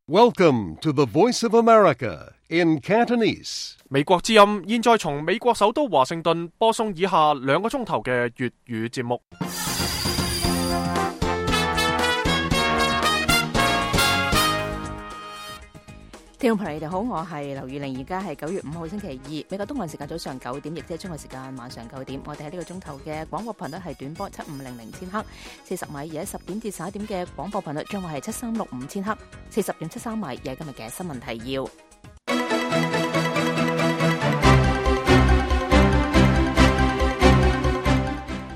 Welcome to the Voice of America in Cantonese. 美國之音現在從美國首都華盛頓播送以下2個鐘頭嘅粵語節目。聽眾朋友，你哋好，我係劉宇玲，而家係9月5號星期二，美國東岸時間早上9點，亦即係中國時間晚上9點。我哋喺呢個鐘頭嘅廣播頻率係短波7500千赫，40米；而喺10點至11點嘅廣播頻率將會係7365千赫，40.73米。而係今日嘅新聞提要。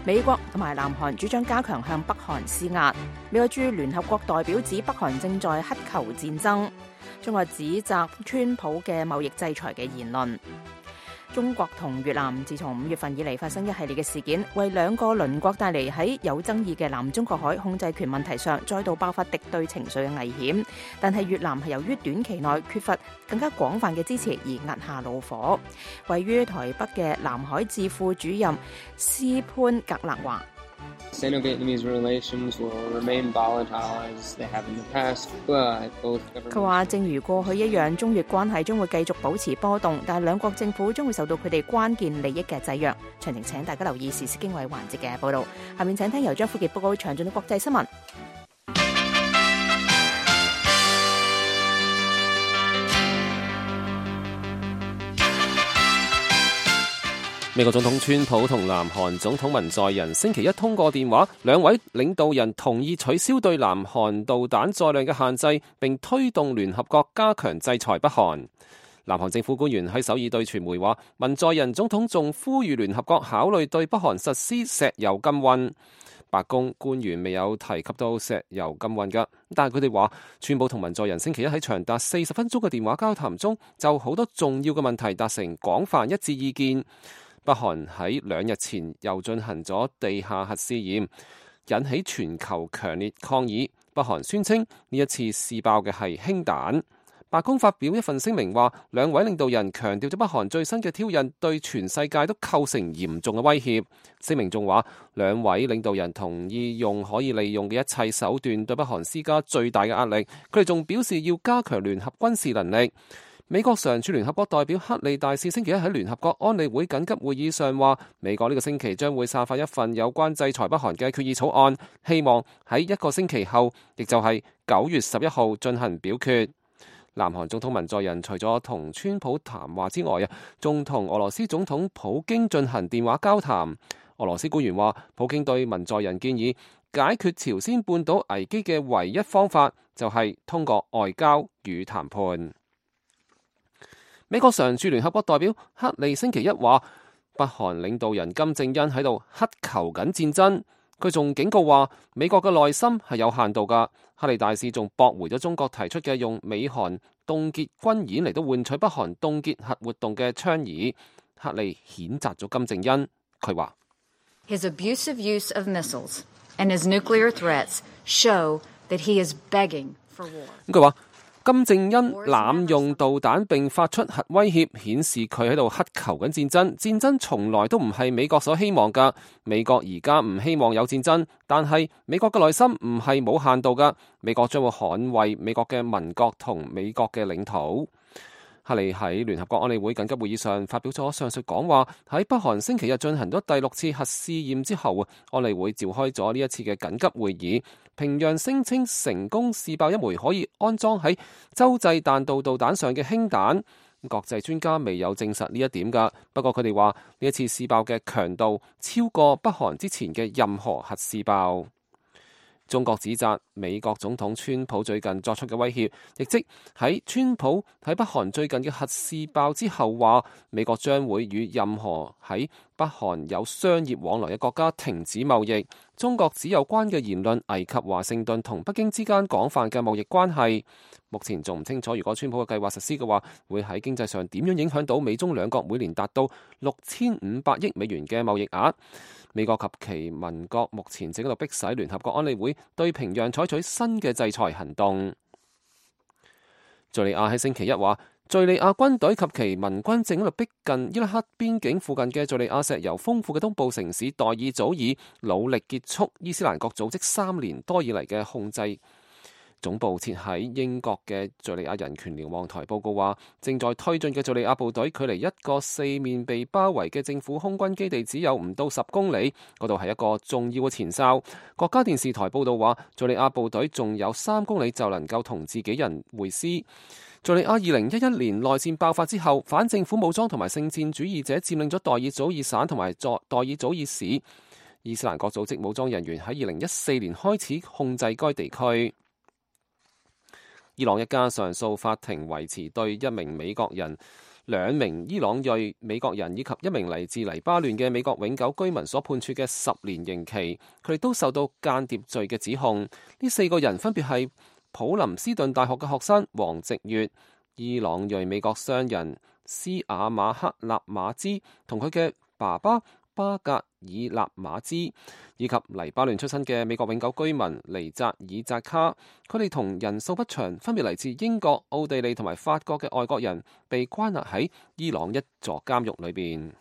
美國同埋南韓主張加強向北韓施壓。美國駐聯合國代表指北韓正在乞求戰爭。中國指責川普嘅貿易制裁嘅言論。中國同越南自從5月份以嚟發生一系列嘅事件，為2個鄰國帶嚟喺有爭議嘅南中國海控制權問題上再度爆發敵對情緒嘅危險。但係越南係由於短期內缺乏更加廣泛嘅支持而壓下怒火。位於台北嘅南海智庫主任斯潘格勒話Sino-Vietnamese relations will remain volatile as they have in the past, but both governments... 佢話正如過去一樣，中越關係將會繼續保持波動，但係2國政府將會受到佢哋關鍵利益嘅制約。詳情請大家留意時事經緯環節嘅報導。下面請聽由張富傑報告詳盡嘅國際新聞。美國總統川普同南韓總統文在寅星期一通過電話，兩位領導人同意取消對南韓導彈載量嘅限制，並推動聯合國加強制裁北韓。南韓政府官員喺首爾對傳媒話，文在寅總統仲呼籲聯合國考慮對北韓實施石油禁運。白宮官員未有提及到石油禁運㗎，但係佢哋話，川普同文在寅星期一喺長達40分鐘嘅電話交談中，就好多重要嘅問題達成廣泛一致意見。北韓喺2日前又進行咗地下核試驗，引起全球強烈抗議。北韓宣稱呢一次試爆嘅係氫彈。白宮發表一份聲明話，兩位領導人強調咗北韓最新嘅挑釁對全世界都構成嚴重嘅威脅。聲明仲話，兩位領導人同意用可以利用嘅一切手段對北韓施加最大嘅壓力。佢哋仲表示要加強聯合軍事能力。美國常駐聯合國代表克利大使星期一喺聯合國安理會緊急會議上話，美國呢個星期將會散發一份有關制裁北韓嘅決議草案，希望喺1個星期後，亦就係9月11號進行表決。南韓總統文在寅除咗同川普談話之外，仲同俄羅斯總統普京進行電話交談。俄羅斯官員話，普京對文在寅建議解決朝鮮半島危機嘅唯一方法就係通過外交與談判。美國常駐聯合國代表克利星期一話，北韓領導人金正恩喺度乞求緊戰爭。佢仲警告話，美國嘅耐心係有限度㗎。克利大使仲駁回咗中國提出嘅用美韓凍結軍演嚟到換取北韓凍結核活動嘅倡議。克利譴責咗金正恩，佢話：His abusive use of missiles and his nuclear threats show that he is begging for war。佢話，金正恩濫用導彈並發出核威脅，顯示佢喺度乞求緊戰爭。戰爭從來都唔係美國所希望㗎。美國而家唔希望有戰爭，但係美國嘅內心唔係冇限度㗎。美國將會捍衛美國嘅民國同美國嘅領土。克利喺聯合國安理會緊急會議上發表咗上述講話。喺北韓星期日進行咗第6次核試驗之後，安理會召開咗呢一次嘅緊急會議。平壤聲稱成功試爆一枚可以安裝喺洲際彈道導彈上嘅氫彈。國際專家未有證實呢一點㗎，不過佢哋話呢一次試爆嘅強度超過北韓之前嘅任何核試爆。中國指責美國總統川普最近作出嘅威脅，亦即喺川普喺北韓最近嘅核試爆之後話，美國將會與任何喺北韓有商業往來嘅國家停止貿易。中國指有關嘅言論危及華盛頓同北京之間廣泛嘅貿易關係。目前仲唔清楚，如果川普嘅計劃實施嘅話，會喺經濟上點樣影響到美中兩國每年達到6500億美元嘅貿易額。美國及其盟國目前正喺度迫使聯合國安理會對平壤採取新嘅制裁行動。敘利亞喺星期一話，敘利亞軍隊及其盟軍正喺度逼近伊拉克邊境附近嘅敘利亞石油豐富嘅東部城市代爾祖爾，努力結束伊斯蘭國組織3年多以嚟嘅控制。總部設喺英國嘅敘利亞人權瞭望台報告話，正在推進嘅敘利亞部隊距離一個四面被包圍嘅政府空軍基地只有唔到10公里，嗰度係一個重要嘅前哨。國家電視台報道話，敘利亞部隊仲有3公里就能夠同自己人會師。敘利亞2011年內戰爆發之後，反政府武裝同埋聖戰主義者佔領咗代爾祖爾省同埋代爾祖爾市。伊斯蘭國組織武裝人員喺2014年開始控制該地區。伊朗一家上訴法庭維持對1名美國人、2名伊朗裔美國人以及1名嚟自黎巴嫩嘅美國永久居民所判處嘅10年刑期，佢哋都受到間諜罪嘅指控。呢4個人分別係普林斯頓大學嘅學生王直月、伊朗裔美國商人斯瓦馬克納馬茲同佢嘅爸爸巴格爾納馬茲，以及黎巴嫩出身嘅美國永久居民尼扎爾扎卡。佢哋同人數不詳，分別嚟自英國、奧地利同埋法國嘅外國人，被關押喺伊朗一座監獄裏邊。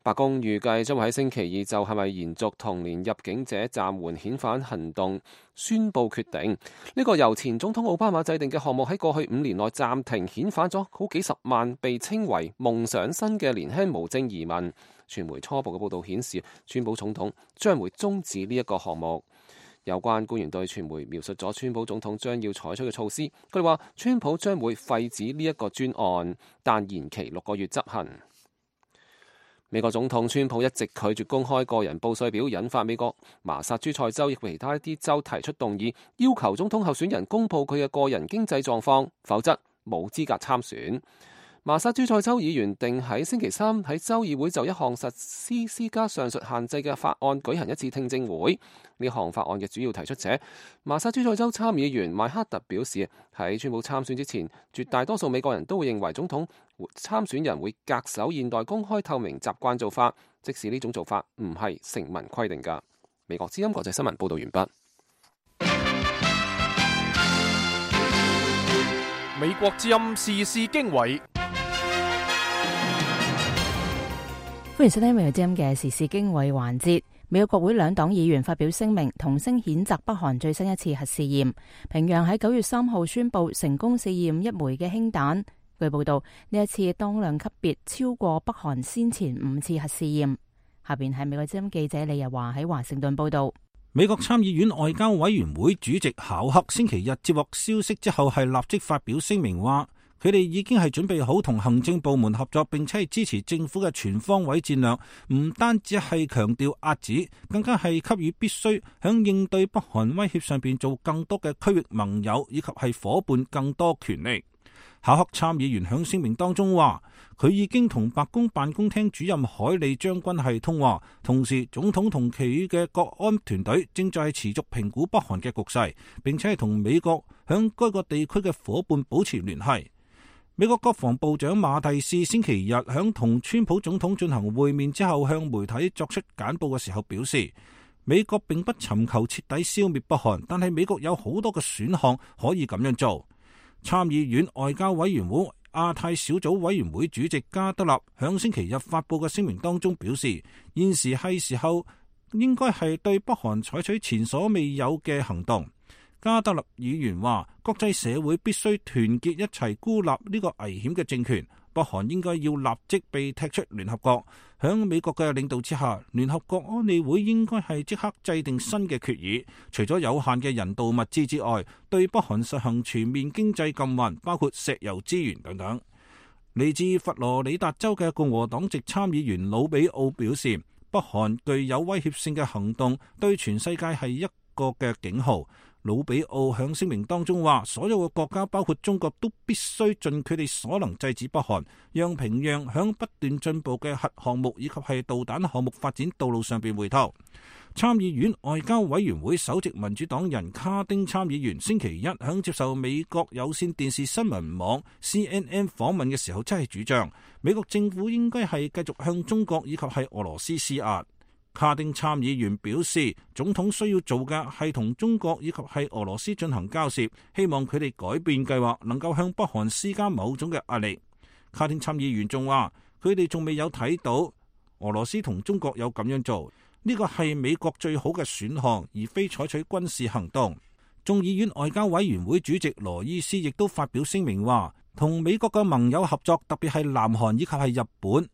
白宮預計將會喺星期二就係咪延續同年入境者暫緩遣返行動宣佈決定。呢個由前總統奧巴馬制定嘅項目喺過去5年內暫停遣返咗好幾十萬被稱為夢想生嘅年輕無證移民。傳媒初步嘅報導顯示，川普總統將會終止呢一個項目。有關官員對傳媒描述咗川普總統將要採取嘅措施，佢哋話川普將會廢止呢一個專案，但延期6個月執行。美國總統川普一直拒絕公開個人報稅表，引發美國麻薩諸塞州以及其他一啲州提出動議，要求總統候選人公佈佢嘅個人經濟狀況，否則冇資格參選。麻薩諸塞州議員定喺星期3喺州議會就一項實施施加上述限制嘅法案舉行一次聽證會。呢項法案嘅主要提出者麻薩諸塞州參議員邁克特表示，喺川普參選之前，絕大多數美國人都會認為總統參選人會恪守現代公開透明習慣做法，即使呢種做法唔係成文規定㗎。美國之音國際新聞報道完畢。美國之音時事經緯。歡迎收聽美國之音嘅時事經緯環節。美國國會2黨議員發表聲明，同聲譴責北韓最新一次核試驗。平壤喺9月3號宣布成功試驗1枚嘅氫彈。據報道，呢一次當量級別超過北韓先前5次核試驗。下邊係美國之音記者李日華喺華盛頓報道。美國參議院外交委員會主席考克星期日接獲消息之後，係立即發表聲明話，佢哋已經係準備好同行政部門合作，並且係支持政府嘅全方位戰略，唔單止係強調遏止，更加係給予必須響應對北韓威脅上邊做更多嘅區域盟友以及係夥伴更多權力。考克參議員響聲明當中話，佢已經同白宮辦公廳主任海利將軍係通話，同時總統同其餘嘅國安團隊正在持續評估北韓嘅局勢，並且係同美國響該個地區嘅夥伴保持聯繫。美國國防部長馬蒂斯星期日響同川普總統進行會面之後，向媒體作出簡報嘅時候表示，美國並不尋求徹底消滅北韓，但係美國有好多嘅選項可以咁樣做。參議院外交委員會亞太小組委員會主席加德納響星期日發佈嘅聲明當中表示，現時係時候應該係對北韓採取前所未有嘅行動。加德納議員話，國際社會必須團結一齊孤立呢個危險嘅政權，北韓應該要立即被踢出聯合國。響美國嘅領導之下，聯合國安理會應該係即刻制定新嘅決議，除咗有限嘅人道物資之外，對北韓實行全面經濟禁運，包括石油資源等等。嚟自佛羅里達州嘅共和黨籍參議員魯比奧表示，北韓具有威脅性嘅行動對全世界係一個嘅警號。魯比奧響聲明當中話，所有嘅國家包括中國都必須盡佢哋所能制止北韓，讓平壤響不斷進步嘅核項目以及係導彈項目發展道路上邊回頭。參議院外交委員會首席民主黨人卡丁參議員星期一響接受美國有線電視新聞網 CNN 訪問嘅時候，真係主張美國政府應該係繼續向中國以及係俄羅斯施壓。卡丁參議員表示，總統需要做嘅係同中國以及係俄羅斯進行交涉，希望佢哋改變計劃，能夠向北韓施加某種嘅壓力。卡丁參議員仲話，佢哋仲未有睇到俄羅斯同中國有咁樣做，呢個係美國最好嘅選項，而非採取軍事行動。眾議院外交委員會主席羅伊斯亦都發表聲明話，同美國嘅盟友合作，特別係南韓以及係日本，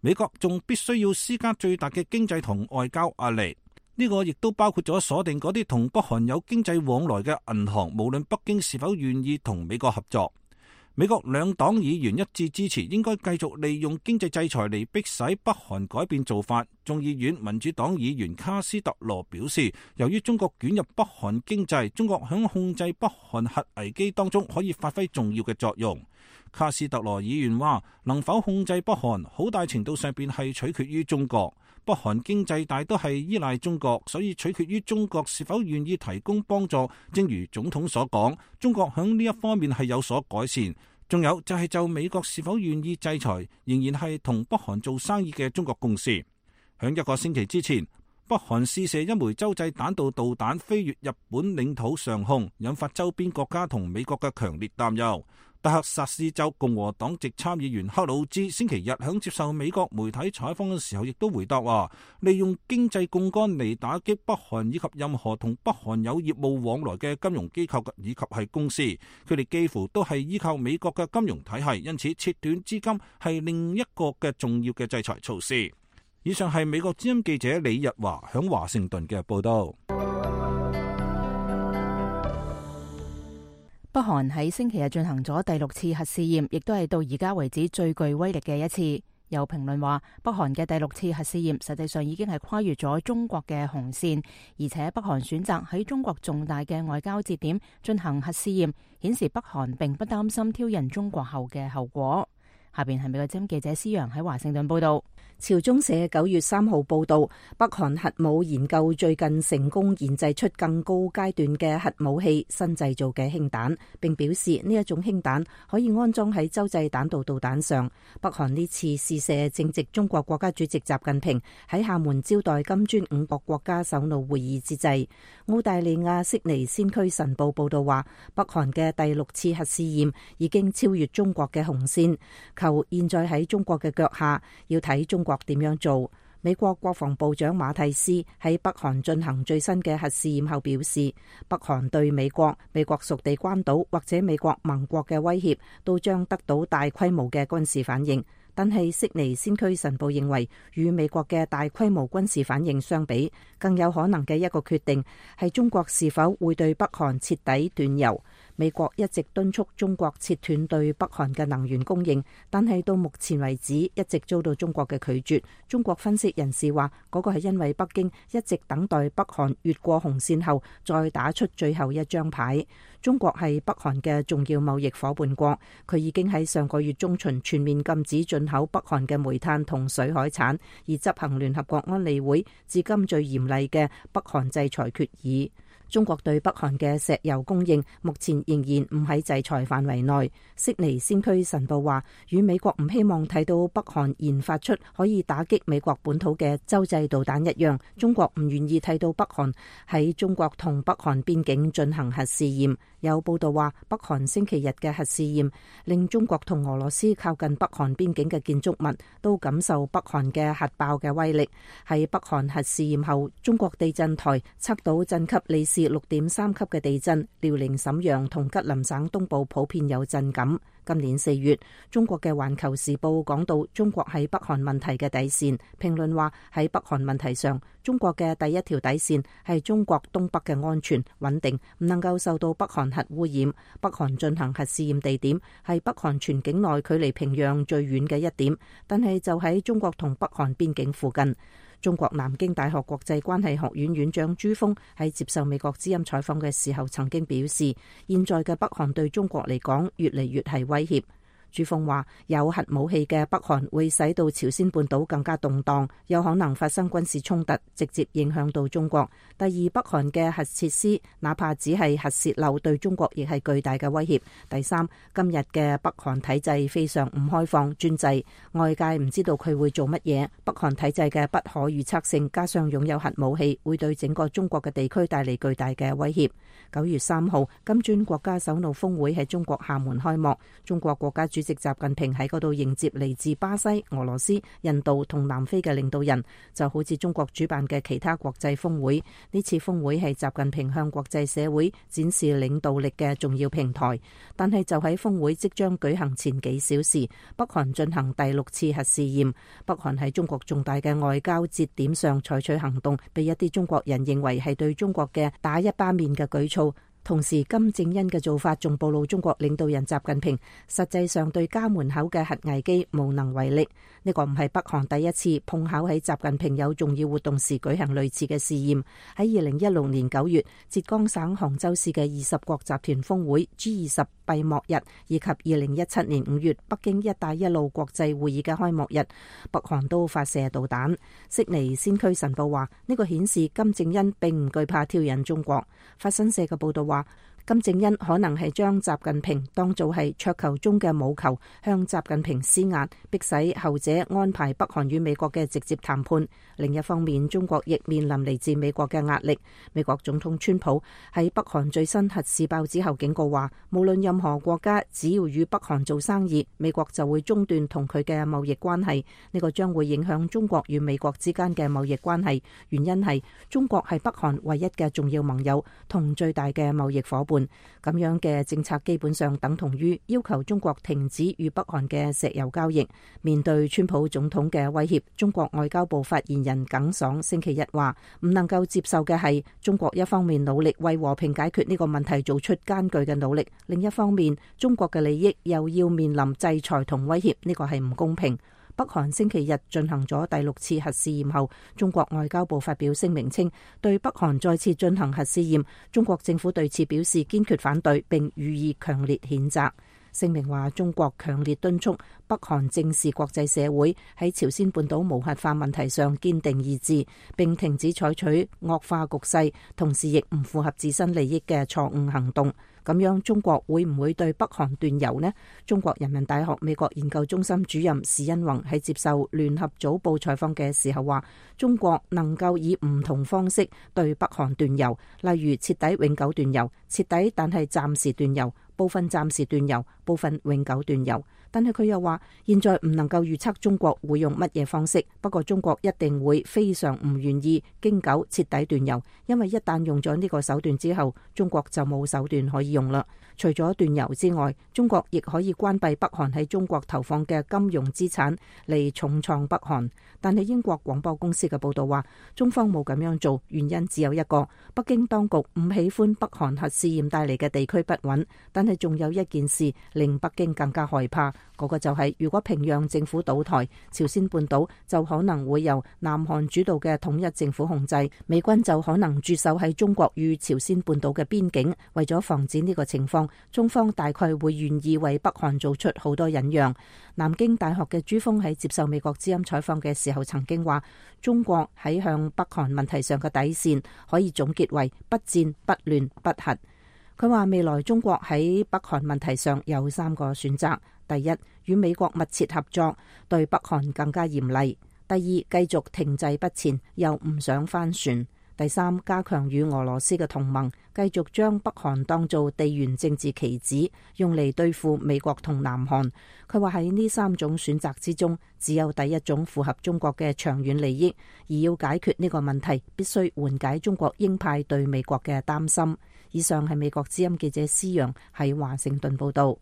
美國仲必須要施加最大嘅經濟同外交壓力。呢個亦都包括咗鎖定嗰啲同北韓有經濟往來嘅銀行，無論北京是否願意同美國合作。美國兩黨議員一致支持，應該繼續利用經濟制裁嚟迫使北韓改變做法。眾議院民主黨議員卡斯特羅表示，由於中國捲入北韓經濟，中國響控制北韓核危機當中可以發揮重要嘅作用。卡斯特羅議員話，能否控制北韓，好大程度上邊係取決於中國。北韓經濟大都係依賴中國，所以取決於中國是否願意提供幫助。正如總統所講，中國響呢一方面係有所改善。仲有就係就美國是否願意制裁，仍然係同北韓做生意嘅中國共識。響一個星期之前，北韓試射一枚洲際彈道導彈飛越日本領土上空，引發周邊國家同美國嘅強烈擔憂。德克薩斯州共和黨籍參議員克魯茲星期日響接受美國媒體採訪嘅時候，亦都回答話，利用經濟槓桿嚟打擊北韓以及任何同北韓有業務往來嘅金融機構以及係公司，佢哋幾乎都係依靠美國嘅金融體系，因此切斷資金係另一個嘅重要嘅制裁措施。以上係美國之音記者李日華響華盛頓嘅報道。北韓喺星期日進行咗第6次核試驗，亦都係到而家為止最具威力嘅一次。有評論話，北韓嘅第6次核試驗實際上已經係跨越咗中國嘅紅線，而且北韓選擇喺中國重大嘅外交節點進行核試驗，顯示北韓並不擔心挑釁中國後嘅後果。下邊係美國之音記者施洋喺華盛頓報道。朝中社9月3號報道，北韓核武研究最近成功研製出更高階段嘅核武器新製造嘅氫彈，並表示呢一種氫彈可以安裝喺洲際彈道導彈上。北韓呢次試射正值中國國家主席習近平喺廈門招待金磚5國國家首腦會議之際。澳大利亞悉尼先驅晨報報道話，北韓嘅第6次核試驗已經超越中國嘅紅線，求現在喺中國嘅腳下，要睇中國點樣做。美國國防部長馬蒂斯喺北韓進行最新嘅核試驗後表示，北韓對美國屬地關島或者美國盟國嘅威脅都將得到大規模嘅軍事反應。但係悉尼先驅晨報認為，與美國嘅大規模軍事反應相比，更有可能嘅一個決定係中國是否會對北韓徹底斷油。美國一直敦促中國切斷對北韓嘅能源供應，但係到目前為止一直遭到中國嘅拒絕。中國分析人士話，嗰個係因為北京一直等待北韓越過紅線後再打出最後一張牌。中國係北韓嘅重要貿易夥伴國，佢已經喺上個月中旬全面禁止進口北韓嘅煤炭同水海產，而執行聯合國安理會至今最嚴厲嘅北韓制裁決議。中國對北韓嘅石油供應目前仍然唔喺制裁範圍內。悉尼先驅晨報話，與美國唔希望睇到北韓研發出可以打擊美國本土嘅洲際導彈一樣，中國唔願意睇到北韓喺中國同北韓邊境進行核試驗。有報道話，北韓星期日嘅核試驗令中國同俄羅斯靠近北韓邊境嘅建築物都感受北韓嘅核爆嘅威力。喺北韓核試驗後，中國地震台測到震級里氏6.3級嘅地震，遼寧瀋陽同吉林省東部普遍有震感。今年4月，中國嘅《環球時報》講到中國喺北韓問題嘅底線，評論話喺北韓問題上，中國嘅第一條底線係中國東北嘅安全穩定，唔能夠受到北韓核污染。北韓進行核試驗地點係北韓全境內距離平壤最遠嘅一點，但係就喺中國同北韓邊境附近。中國南京大學國際關係學院院長朱鋒喺接受美國之音採訪嘅時候曾經表示，現在嘅北韓對中國嚟講越嚟越係威脅。朱鋒話，有核武器嘅北韓會使到朝鮮半島更加動盪，有可能發生軍事衝突，直接影響到中國。第二，北韓嘅核設施哪怕只係核洩漏，對中國亦係巨大嘅威脅。第三，今日嘅北韓體制非常唔開放專制，外界唔知道佢會做乜嘢。北韓體制嘅不可預測性，加上擁有核武器，會對整個中國嘅地區帶嚟巨大嘅威脅。9月3號，金磚國家首腦峰會喺中國廈門開幕，中國國家主席習近平喺嗰度迎接嚟自巴西、俄羅斯、印度同南非嘅領導人，就好似中國主辦嘅其他國際峰會。呢次峰會係習近平向國際社會展示領導力嘅重要平台。但係就喺峰會即將舉行前幾小時，北韓進行第6次核試驗。北韓喺中國重大嘅外交節點上採取行動，被一啲中國人認為係對中國嘅打一巴面嘅舉措。同時，金正恩嘅做法仲暴露中國領導人習近平實際上對家門口嘅核危機無能為力。呢個唔係北韓第一次碰巧喺習近平有重要活動時舉行類似嘅試驗。喺2016年9月，浙江省杭州市嘅20國集團峰會 G20 閉幕日，以及2017年5月北京一帶一路國際會議嘅開幕日，北韓都發射導彈。悉尼先驅晨報話，呢個顯示金正恩並唔懼怕挑釁中國。法新社嘅報道話，金正恩可能係將習近平當做係桌球中嘅母球，向習近平施壓，迫使後者安排北韓與美國嘅直接談判。另一方面，中國亦面臨嚟自美國嘅壓力。美國總統川普喺北韓最新核試爆之後警告話，無論任何國家只要與北韓做生意，美國就會中斷同佢嘅貿易關係。呢個將會影響中國與美國之間嘅貿易關係。原因係中國係北韓唯一嘅重要盟友同最大嘅貿易夥伴。咁樣嘅政策基本上等同於要求中國停止與北韓嘅石油交易。面對川普總統嘅威脅，中國外交部發言人耿爽星期一話，唔能夠接受嘅係中國一方面努力為和平解決呢個問題做出艱巨嘅努力，另一方面中國嘅利益又要面臨制裁同威脅，呢個係唔公平。北韓星期日進行咗第6次核試驗後，中國外交部發表聲明稱，對北韓再次進行核試驗，中國政府對此表示堅決反對並予以強烈譴責。聲明話，中國強烈敦促北韓正視國際社會喺朝鮮半島無核化問題上堅定意志，並停止採取惡化局勢，同時亦唔符合自身利益嘅錯誤行動。咁樣中國會唔會對北韓斷油呢？中國人民大學美國研究中心主任史恩宏喺接受聯合早報採訪嘅時候話，中國能夠以唔同方式對北韓斷油，例如徹底永久斷油、徹底但係暫時斷油、部分暫時斷油、部分永久斷油。但係佢又話，現在唔能夠預測中國會用乜嘢方式，不過中國一定會非常唔願意經久徹底斷油，因為一旦用咗呢個手段之後，中國就冇手段可以用啦。除咗斷油之外，中國亦可以關閉北韓喺中國投放嘅金融資產嚟重創北韓。但係英國廣播公司嘅報道話，中方冇咁樣做，原因只有一個，北京當局唔喜歡北韓核試驗帶嚟嘅地區不穩。但係仲有一件事令北京更加害怕，嗰個就係如果平壤政府倒台，朝鮮半島就可能會由南韓主導嘅統一政府控制，美軍就可能駐守喺中國與朝鮮半島嘅邊境。為咗防止呢個情況，中方大概會願意為北韓做出好多忍讓。南京大學嘅朱鋒喺接受美國之音採訪嘅時候曾經話，中國喺向北韓問題上嘅底線可以總結為不戰不亂不核。佢話未來中國喺北韓問題上有3個選擇：第一，與美國密切合作，對北韓更加嚴厲；第二，繼續停滯不前，又唔想翻船；第三，加強與俄羅斯嘅同盟，繼續將北韓當做地緣政治棋子，用嚟對付美國同南韓。佢話喺呢3種選擇之中，只有第一種符合中國嘅長遠利益，而要解決呢個問題，必須緩解中國鷹派對美國嘅擔心。以上係美國之音記者施陽喺華盛頓報道。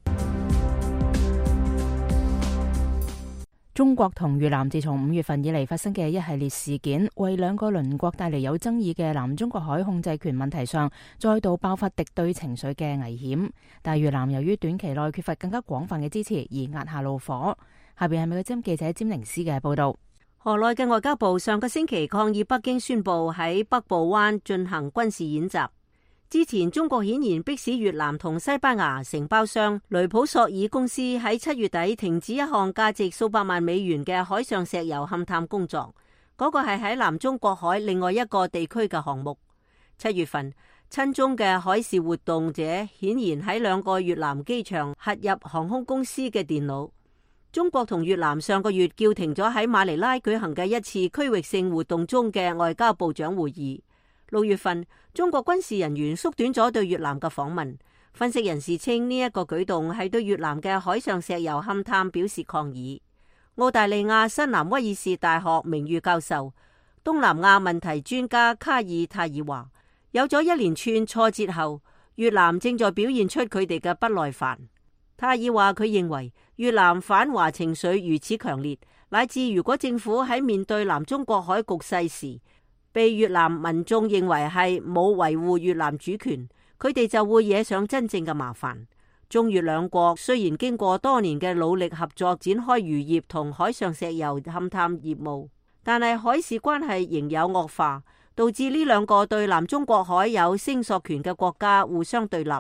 中國同越南自從5月份以嚟發生嘅一系列事件，為兩個鄰國帶嚟有爭議嘅南中國海控制權問題上，再度爆發敵對情緒嘅危險。但越南由於短期內缺乏更加廣泛嘅支持而壓下怒火。下邊係美國之音記者詹寧斯嘅報道。河內嘅外交部上個星期抗議北京宣布喺北部灣進行軍事演習。之前中國顯然迫使越南同西班牙承包商雷普索爾公司喺7月底停止一項價值數百萬美元嘅海上石油勘探工作，嗰個係喺南中國海另外一個地區嘅項目。7月份，親中嘅海事活動者顯然喺2個越南機場核入航空公司嘅電腦。中國同越南上個月叫停咗喺馬尼拉舉行嘅一次區域性活動中嘅外交部長會議。6月份，中國軍事人員縮短咗對越南嘅訪問，分析人士稱呢一個舉動係對越南嘅海上石油勘探表示抗議。澳大利亞新南威爾士大學名譽教授、東南亞問題專家卡爾泰爾話，有咗一連串挫折後，越南正在表現出佢哋嘅不耐煩。泰爾話佢認為越南反華情緒如此強烈，乃至如果政府喺面對南中國海局勢時，被越南民眾認為係冇維護越南主權，佢哋就會惹上真正嘅麻煩。中越兩國雖然經過多年嘅努力合作展開漁業同海上石油勘探業務，但係海事關係仍有惡化，導致呢兩個對南中國海有聲索權嘅國家互相對立，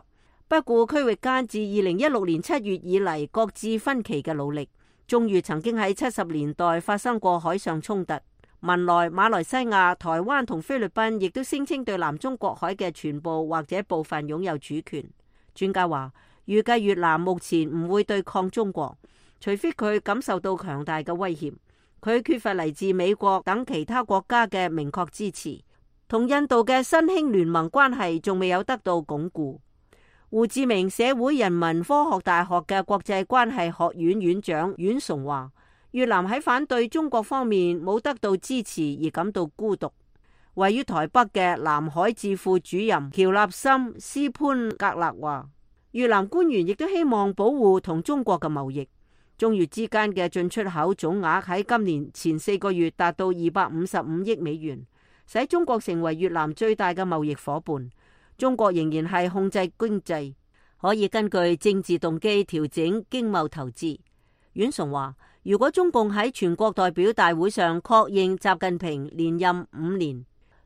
不顧區域間自2016年7月以嚟各自分歧嘅努力。中越曾經喺70年代發生過海上衝突，文萊、馬來西亞、台灣同菲律賓亦都聲稱對南中國海嘅全部或者部分擁有主權。專家話，預計越南目前唔會對抗中國，除非佢感受到強大嘅威脅。佢缺乏嚟自美國等其他國家嘅明確支持，同印度嘅新興聯盟關係仲未有得到鞏固。胡志明社會人文科學大學嘅國際關係學院院長阮崇話，越南喺反對中國方面冇得到支持而感到孤獨。位於台北嘅南海智庫主任喬納森斯潘格勒話，越南官員亦都希望保護同中國嘅貿易。中越之間嘅進出口總額喺今年前4個月達到255億美元，使中國成為越南最大嘅貿易夥伴。中國仍然係控制經濟，可以根據政治動機調整經貿投資。阮崇話，如果中共喺全國代表大會上確認習近平連任5年，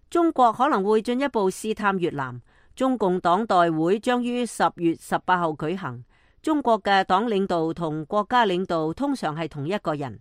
中國可能會進一步試探越南。中共黨代會將於10月18號舉行。中國嘅黨領導同國家領導通常係同一個人。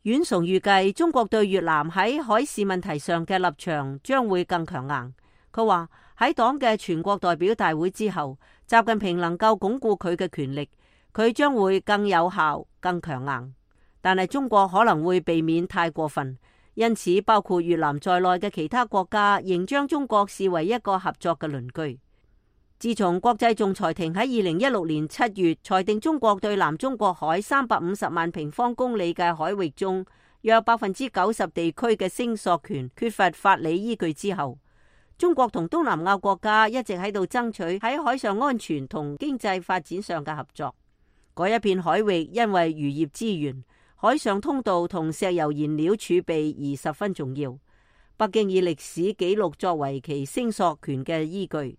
阮崇預計中國對越南喺海事問題上嘅立場將會更強硬。佢話喺黨嘅全國代表大會之後，習近平能夠鞏固佢嘅權力，佢將會更有效、更強硬。但係中國可能會避免太過分，因此包括越南在內嘅其他國家仍將中國視為一個合作嘅鄰居。自從國際仲裁庭喺2016年7月裁定中國對南中國海350萬平方公里嘅海域中約90%地區嘅聲索權缺乏法理依據之後，中國同東南亞國家一直喺度爭取喺海上安全同經濟發展上嘅合作。嗰一片海域因為漁業資源、海上通道同石油燃料儲備而十分重要。北京以歷史記錄作為其聲索權嘅依據。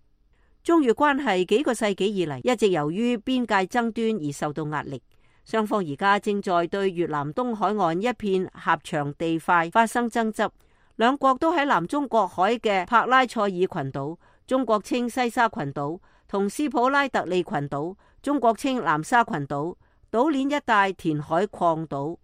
中越關係幾個世紀以嚟一直由於邊界爭端而受到壓力，雙方而家正在對越南東海岸一片狹長地塊發生爭執。兩國都喺南中國海嘅柏拉塞爾群島，中國稱西沙群島，同斯普拉特利群島，中國稱南沙群島，島鏈一帶填海礦島。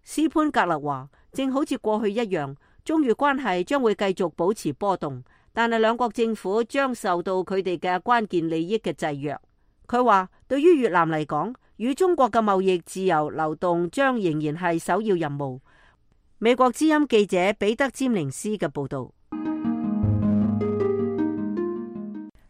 斯潘格勒話，正好似過去一樣，中越關係將會繼續保持波動，但係兩國政府將受到佢哋嘅關鍵利益嘅制約。佢話，對於越南嚟講，與中國嘅貿易自由流動將仍然係首要任務。美國之音記者彼得詹寧斯嘅報道。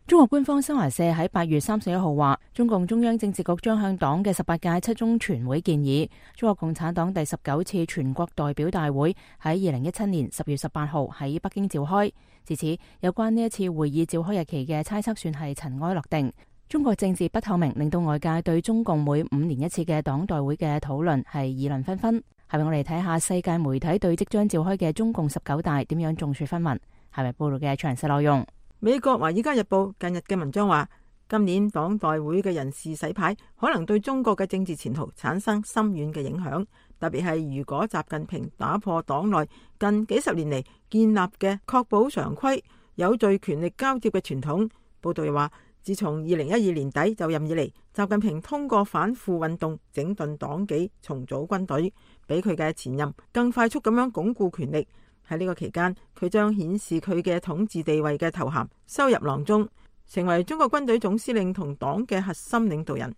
中國官方新華社喺8月31號話，中共中央政治局將向黨嘅18屆7中全會建議，中國共產黨第19次全國代表大會喺2017年10月18號喺北京召開。自此，有關呢一次會議召開日期嘅猜測算係塵埃落定。中國政治不透明，令到外界對中共每5年一次嘅黨代會嘅討論係議論紛紛。係咪我哋睇下世界媒體對即將召開嘅中共19大點樣眾說紛紜？係咪報道嘅詳細內容？美國《華爾街日報》近日嘅文章話，今年黨代會嘅人事洗牌可能對中國嘅政治前途產生深遠嘅影響，特別係如果習近平打破黨內近幾十年嚟建立嘅確保常規、有序權力交接嘅傳統。報道又話，自從2012年底就任以嚟，習近平通過反腐運動整頓黨紀、重組軍隊，比佢嘅前任更快速咁樣鞏固權力。喺呢個期間，佢將顯示佢嘅統治地位嘅頭銜收入囊中，成為中國軍隊總司令同黨嘅核心領導人。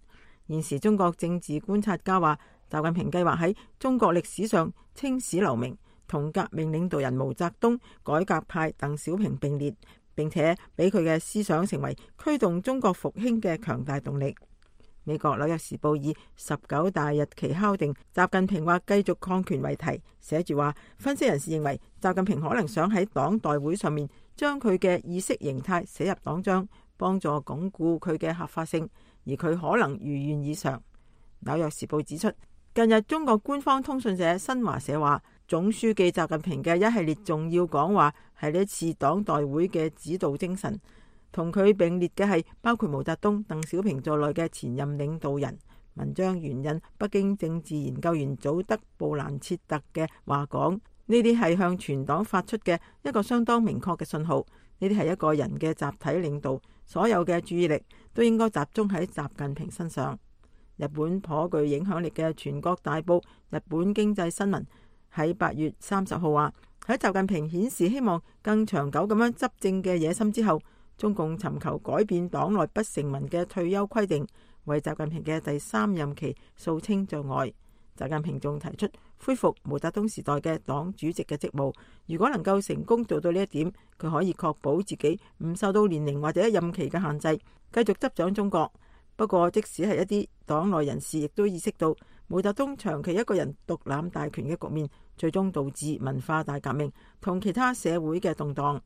現時中國政治觀察家話，習近平計劃喺中國歷史上青史留名，同革命領導人毛澤東、改革派鄧小平並列，並且俾佢嘅思想成為驅動中國復興嘅強大動力。美國紐約時報以19大日期敲定習近平或繼續抗權為題，寫住話，分析人士認為習近平可能想喺黨代會上面將佢嘅意識形態寫入黨章，幫助鞏固佢嘅合法性，而佢可能如願以償。紐約時報指出，近日中國官方通訊社新華社話，總書記習近平嘅一系列重要講話係呢一次黨代會嘅指導精神。同佢並列嘅係包括毛澤東、鄧小平在內嘅前任領導人。文章援引北京政治研究員祖德布蘭切特嘅話講，呢啲係向全黨發出嘅一個相當明確嘅信號。呢啲係一個人嘅集體領導，所有嘅注意力都應該集中喺習近平身上。日本頗具影響力嘅全國大報《日本經濟新聞》喺8月30號話，喺習近平顯示希望更長久咁樣執政嘅野心之後，中共尋求改變黨內不成文嘅退休規定，為習近平嘅第3任期掃清障礙。習近平仲提出恢復毛澤東時代嘅黨主席嘅職務，如果能夠成功做到呢一點，佢可以確保自己唔受到年齡或者任期嘅限制，繼續執掌中國。不過，即使係一啲黨內人士，亦都意識到毛澤東長期一個人獨攬大權嘅局面，最終導致文化大革命同其他社會嘅動盪。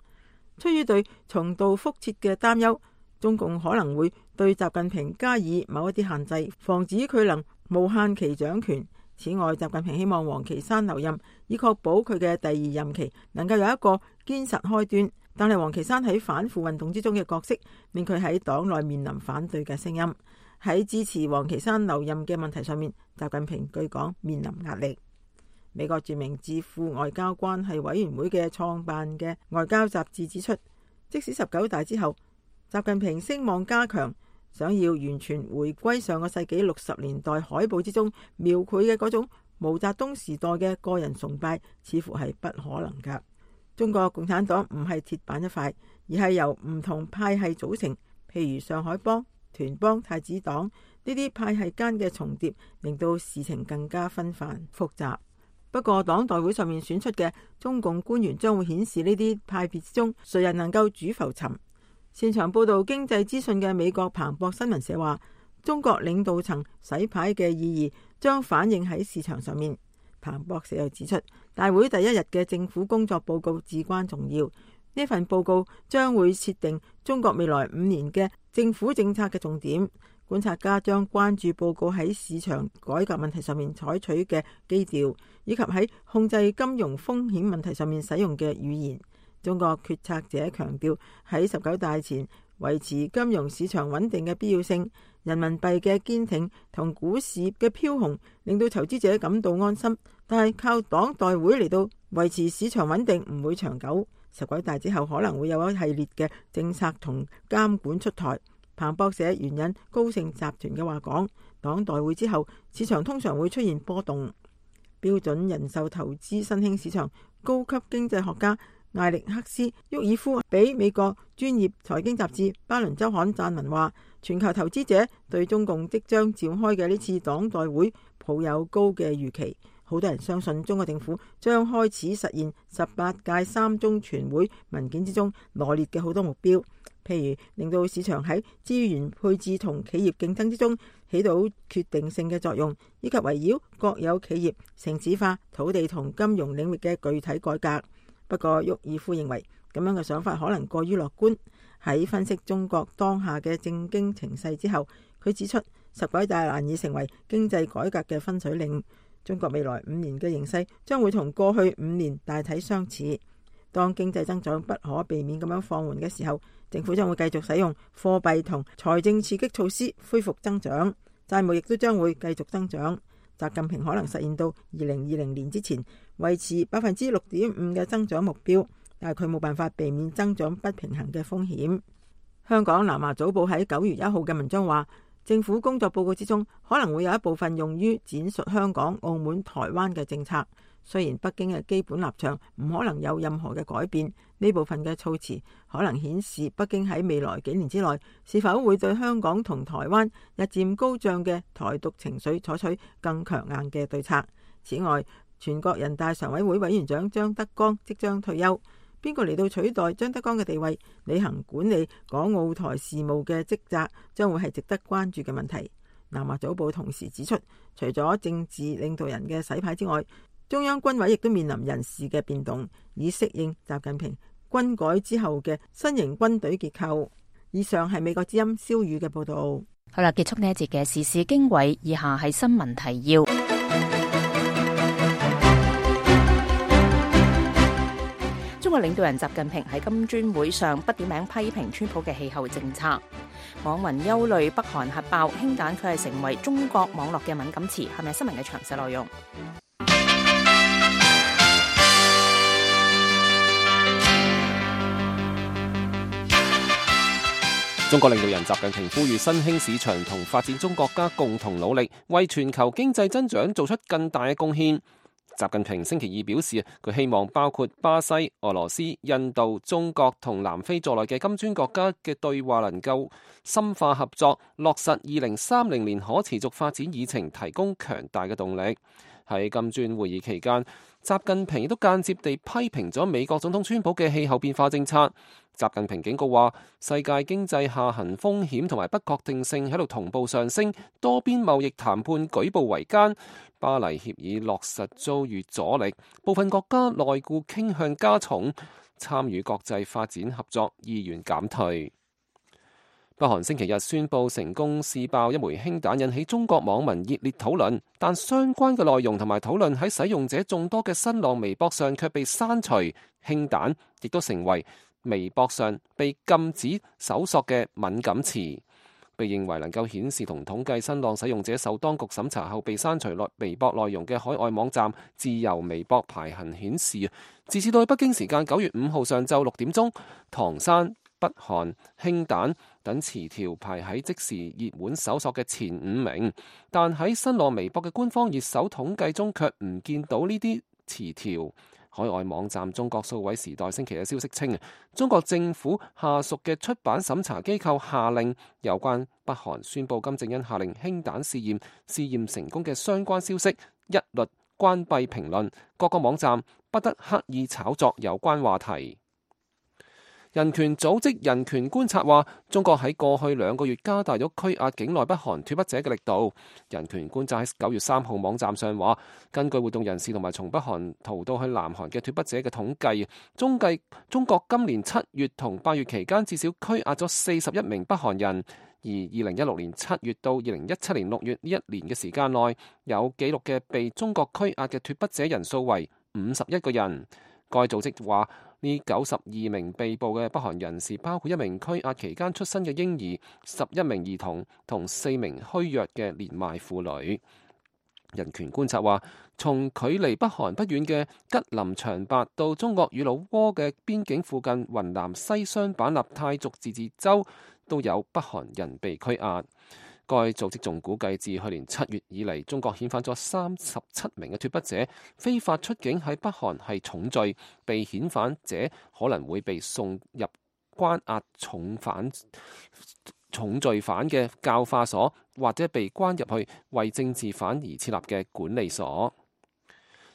出於對重蹈覆轍嘅擔憂，中共可能會對習近平加以某一啲限制，防止佢能無限期掌權。此外，習近平希望王岐山留任，以確保佢嘅第2任期能夠有一個堅實開端。但係王岐山喺反腐運動之中嘅角色，令佢喺黨內面臨反對嘅聲音。喺支持王岐山留任嘅問題上面，習近平據講面臨壓力。美國著名智庫外交關係委員會嘅創辦嘅外交雜誌指出，即使19大之後，習近平聲望加強，想要完全回歸上個世紀60年代海報之中描繪嘅嗰種毛澤東時代嘅個人崇拜，似乎係不可能㗎。中國共產黨唔係鐵板一塊，而係由唔同派系組成，譬如上海幫、團幫、太子黨呢啲派系間嘅重疊，令到事情更加紛繁複雜。不過黨代會上面選出嘅中共官員將會顯示呢啲派別之中誰人能夠主浮沉。擅長報道經濟資訊嘅美國彭博新聞社話，中國領導層洗牌嘅意義將反映喺市場上面。彭博社又指出，大會第1日嘅政府工作報告至關重要。呢份報告將會設定中國未來5年嘅政府政策嘅重點。觀察家將關注報告喺市場改革問題上面採取嘅基調，以及喺控制金融風險問題上面使用嘅語言。中國決策者強調喺19大前維持金融市場穩定嘅必要性。人民幣嘅堅挺同股市嘅飄紅令到投資者感到安心，但係靠黨代會嚟到維持市場穩定唔會長久。19大之後可能會有一系列嘅政策同監管出台。彭博社援引高盛集團嘅話講，黨代會之後市場通常會出現波動。標準人壽投資新興市場高級經濟學家艾力克斯·沃爾夫俾美國專業財經雜誌《巴倫週刊》撰文話，全球投資者對中共即將召開嘅呢次黨代會抱有高嘅預期。好多人相信中國政府將開始實現18屆3中全會文件之中羅列嘅好多目標，譬如令到市場喺資源配置同企業競爭之中起到決定性嘅作用，以及圍繞國有企業、城市化、土地同金融領域嘅具體改革。不過，沃爾夫認為咁樣嘅想法可能過於樂觀。喺分析中國當下嘅政經情勢之後，佢指出19大難以成為經濟改革嘅分水嶺。中國未來5年嘅形勢將會同過去5年大體相似。當經濟增長不可避免咁樣放緩嘅時候，政府將會繼續使用貨幣同財政刺激措施恢復增長，債務亦都將會繼續增長。習近平可能實現到2020年之前維持6.5%嘅增長目標，但係佢冇辦法避免增長不平衡嘅風險。香港南華早報喺9月1號嘅文章話，政府工作報告之中可能會有一部分用於闡述香港、澳門、台灣嘅政策。雖然北京嘅基本立場唔可能有任何嘅改變，呢部分嘅措辭可能顯示北京喺未來幾年之內是否會對香港同台灣日漸高漲嘅台獨情緒採取更強硬嘅對策。此外，全國人大常委會委員長張德江即將退休，邊個嚟到取代張德江嘅地位，履行管理港澳台事務嘅職責，將會係值得關注嘅問題。南華早報同時指出，除咗政治領導人嘅洗牌之外，中央軍委亦都面臨人事嘅變動，以適應習近平軍改之後嘅新型軍隊結構。以上係美國之音蕭宇嘅報道。好啦，結束呢一節嘅時事經緯，以下係新聞提要。中國領導人習近平喺金磚會上不點名批評川普嘅氣候政策。網民憂慮北韓核爆，氫彈佢係成為中國網絡嘅敏感詞，係咪新聞嘅詳細內容？中國領導人習近平呼籲新興市場同發展中國家共同努力，為全球經濟增長做出更大嘅貢獻。習近平星期二表示，佢希望包括巴西、俄羅斯、印度、中國同南非在內嘅金磚國家嘅對話能夠深化合作，落實2030年可持續發展議程，提供強大嘅動力。喺金磚會議期間，習近平亦都間接地批評咗美國總統川普嘅氣候變化政策。習近平警告話，世界經濟下行風險同埋不確定性喺度同步上升，多邊貿易談判舉步維艱，巴黎協議落實遭遇阻力，部分國家內顧傾向加重，參與國際發展合作意願減退。北韓星期日宣布成功試爆一枚氫彈，引起中國網民熱烈討論，但相關嘅內容同埋討論喺使用者眾多嘅新浪微博上卻被刪除，氫彈亦都成為微博上被禁止搜索嘅敏感詞。被認為能夠顯示同統計新浪使用者受當局審查後被刪除微博內容嘅海外網站自由微博排行顯示，截至到北京時間9月5號上晝6點鐘，唐山、北韓、氫彈等詞條排喺即時熱門搜索嘅前5名，但喺新浪微博嘅官方熱搜統計中卻唔見到呢啲詞條。海外網站中國數位時代星期日消息稱，中國政府下屬嘅出版審查機構下令有關北韓宣布金正恩下令氫彈試驗成功嘅相關消息一律關閉評論，各個網站不得刻意炒作有關話題。人權組織人權觀察話，中國喺過去2個月加大咗拘押境內北韓脫北者嘅力度。人權觀察喺9月3號網站上話，根據活動人士同埋從北韓逃到去南韓嘅脫北者嘅統計，中國今年7月同8月期間至少拘押咗41名北韓人，而2016年7月到2017年6月呢一年嘅時間內，有記錄嘅被中國拘押嘅脫北者人數為51個人。該組織話，呢92名被捕嘅北韓人士包括1名拘押期間出生嘅嬰兒、11名兒童同4名虛弱嘅年邁婦女。人權觀察話，從距離北韓不遠嘅吉林長白到中國與老撾嘅邊境附近雲南西雙版納泰族自治州，都有北韓人被拘押。該組織仲估計，自去年7月以嚟，中國遣返咗37名嘅脫北者，非法出境喺北韓係重罪，被遣返者可能會被送入關押重罪犯嘅教化所，或者被關入去為政治犯而設立嘅管理所。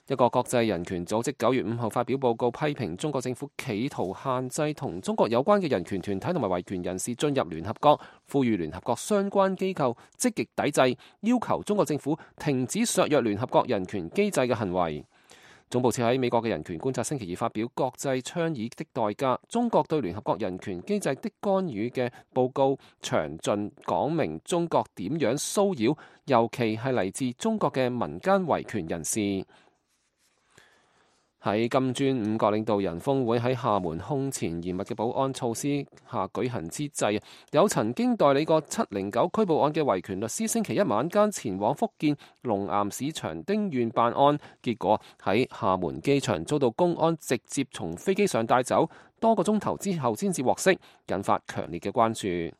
一個國際人權組織9月5號發表報告，批評中國政府企圖限制同中國有關嘅人權團體同埋維權人士進入聯合國，呼籲聯合國相關機構積極抵制，要求中國政府停止削弱聯合國人權機制嘅行為。總部設喺美國嘅人權觀察星期二發表國際倡議的代價：中國對聯合國人權機制的干預嘅報告，詳盡講明中國點樣騷擾，尤其係嚟自中國嘅民間維權人士。喺金磚5國領導人峰會喺廈門空前嚴密嘅保安措施下舉行之際，有曾經代理過709拘捕案嘅維權律師星期一晚間前往福建龍岩市長汀縣辦案，結果喺廈門機場遭到公安直接從飛機上帶走，多個鐘頭之後先至獲釋，引發強烈嘅關注。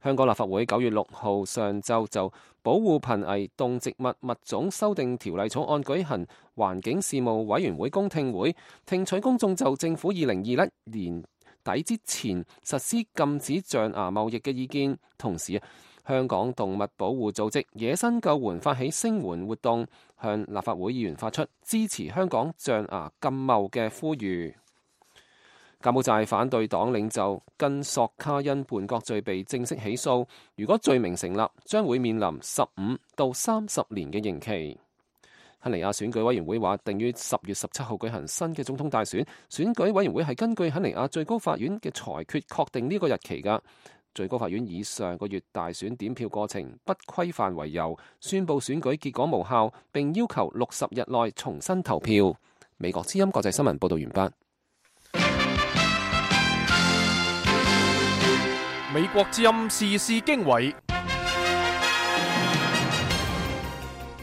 香港立法會9月6號上晝就保護瀕危動植物物種修訂條例草案舉行環境事務委員會公聽會，聽取公眾就政府2021年底之前實施禁止象牙貿易嘅意見。同時，香港動物保護組織野生救援發起聲援活動，向立法會議員發出支持香港象牙禁貿嘅呼籲。柬埔寨反對黨領袖根索卡因叛國罪被正式起訴，如果罪名成立，將會面臨15到30年嘅刑期。肯尼亞選舉委員會話定於10月17號舉行新嘅總統大選，選舉委員會係根據肯尼亞最高法院嘅裁決確定呢個日期㗎。最高法院以上個月大選點票過程不規範為由，宣布選舉結果無效，並要求60日內重新投票。美國之音國際新聞報道完畢。美國之音時事經緯，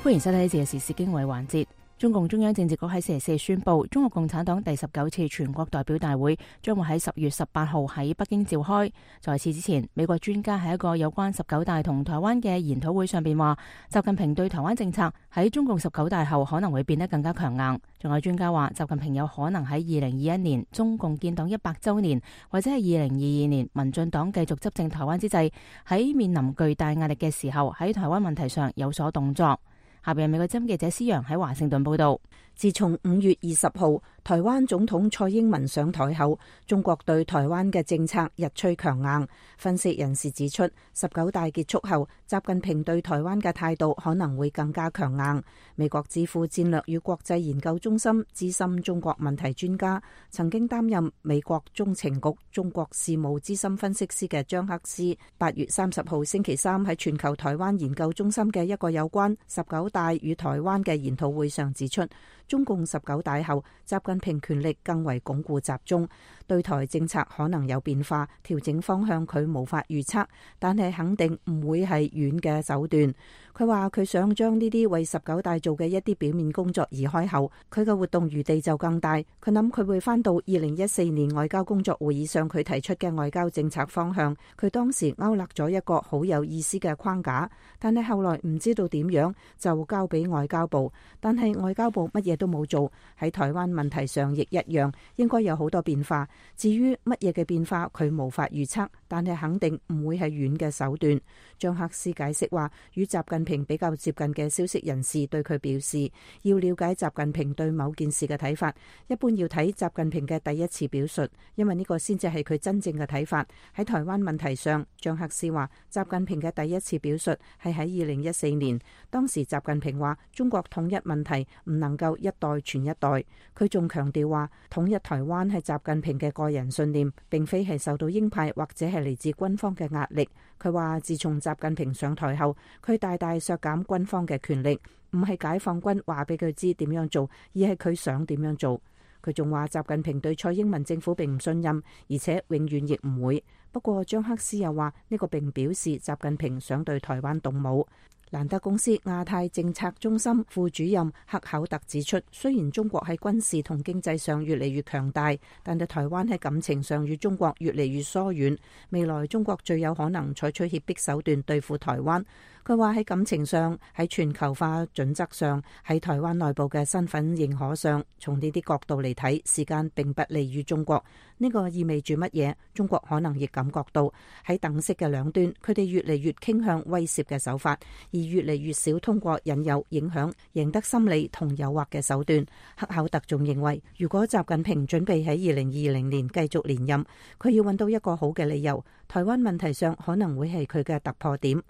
歡迎收睇呢次嘅時事經緯環節。中共中央政治局喺星期四宣布，中國共產黨第19次全國代表大會將會喺10月18號喺北京召開。在此之前，美國專家喺一個有關19大同台灣嘅研討會上邊話，習近平對台灣政策喺中共19大後可能會變得更加強硬。仲有專家話，習近平有可能喺2021年中共建黨100週年，或者係2022年民進黨繼續執政台灣之際，喺面臨巨大壓力嘅時候，喺台灣問題上有所動作。下邊美國之音記者施洋喺華盛頓報道。自從5月20號台灣總統蔡英文上台後，中國對台灣嘅政策日趨強硬。分析人士指出，19大結束後，習近平對台灣嘅態度可能會更加強硬。美國智庫戰略與國際研究中心資深中國問題專家，曾經擔任美國中情局中國事務資深分析師嘅張克斯，8月30號星期三喺全球台灣研究中心嘅一個有關19大與台灣嘅研討會上指出，中共19大後，習近平權力更為鞏固集中，對台政策可能有變化，調整方向佢無法預測，但係肯定唔會係軟嘅手段。佢話佢想將呢啲為19大做嘅一啲表面工作移開後，佢嘅活動餘地就更大。佢諗佢會翻到2014年外交工作會議上佢提出嘅外交政策方向。佢當時勾勒咗一個好有意思嘅框架，但係後來唔知道點樣就交俾外交部，但係外交部乜嘢都冇做。喺台灣問題上亦一樣，應該有好多變化。至於乜嘢嘅變化，佢無法預測，但係肯定唔會係軟嘅手段。張克斯解釋話，與習近平比較接近嘅消息人士對佢表示，要了解習近平對某件事嘅睇法，一般要睇習近平嘅第一次表述，因為呢個先至係佢真正嘅睇法。喺台灣問題上，張克斯話，習近平嘅第一次表述係喺2014年，當時習近平話中國統一問題唔能夠一代傳一代。佢仲強調話，統一台灣係習近平嘅個人信念，並非係受到鷹派或者係嚟自軍方嘅壓力。佢話自從習近平上台後，佢大大削減軍方嘅權力，唔係解放軍話俾佢知點樣做，而係佢想點樣做。佢仲話習近平對蔡英文政府並唔信任，而且永遠亦唔會。不過張克斯又話呢個並唔表示習近平想對台灣動武。蘭德公司亞太政策中心副主任克考特指出，雖然中國喺軍事同經濟上越嚟越強大，但係台灣喺感情上與中國越嚟越疏遠。未來中國最有可能採取脅迫手段對付台灣。佢話喺感情上、喺全球化準則上、喺台灣內部嘅身份認可上，從呢啲角度嚟睇，時間並不利於中國。呢個意味住乜嘢？中國可能亦感覺到喺等式嘅兩端，佢哋越嚟越傾向威懾嘅手法，而越嚟越少通過引誘、影響、贏得心理同誘惑嘅手段。克考特仲認為，如果習近平準備喺2020年繼續連任，佢要揾到一個好嘅理由，台灣問題上可能會係佢嘅突破點。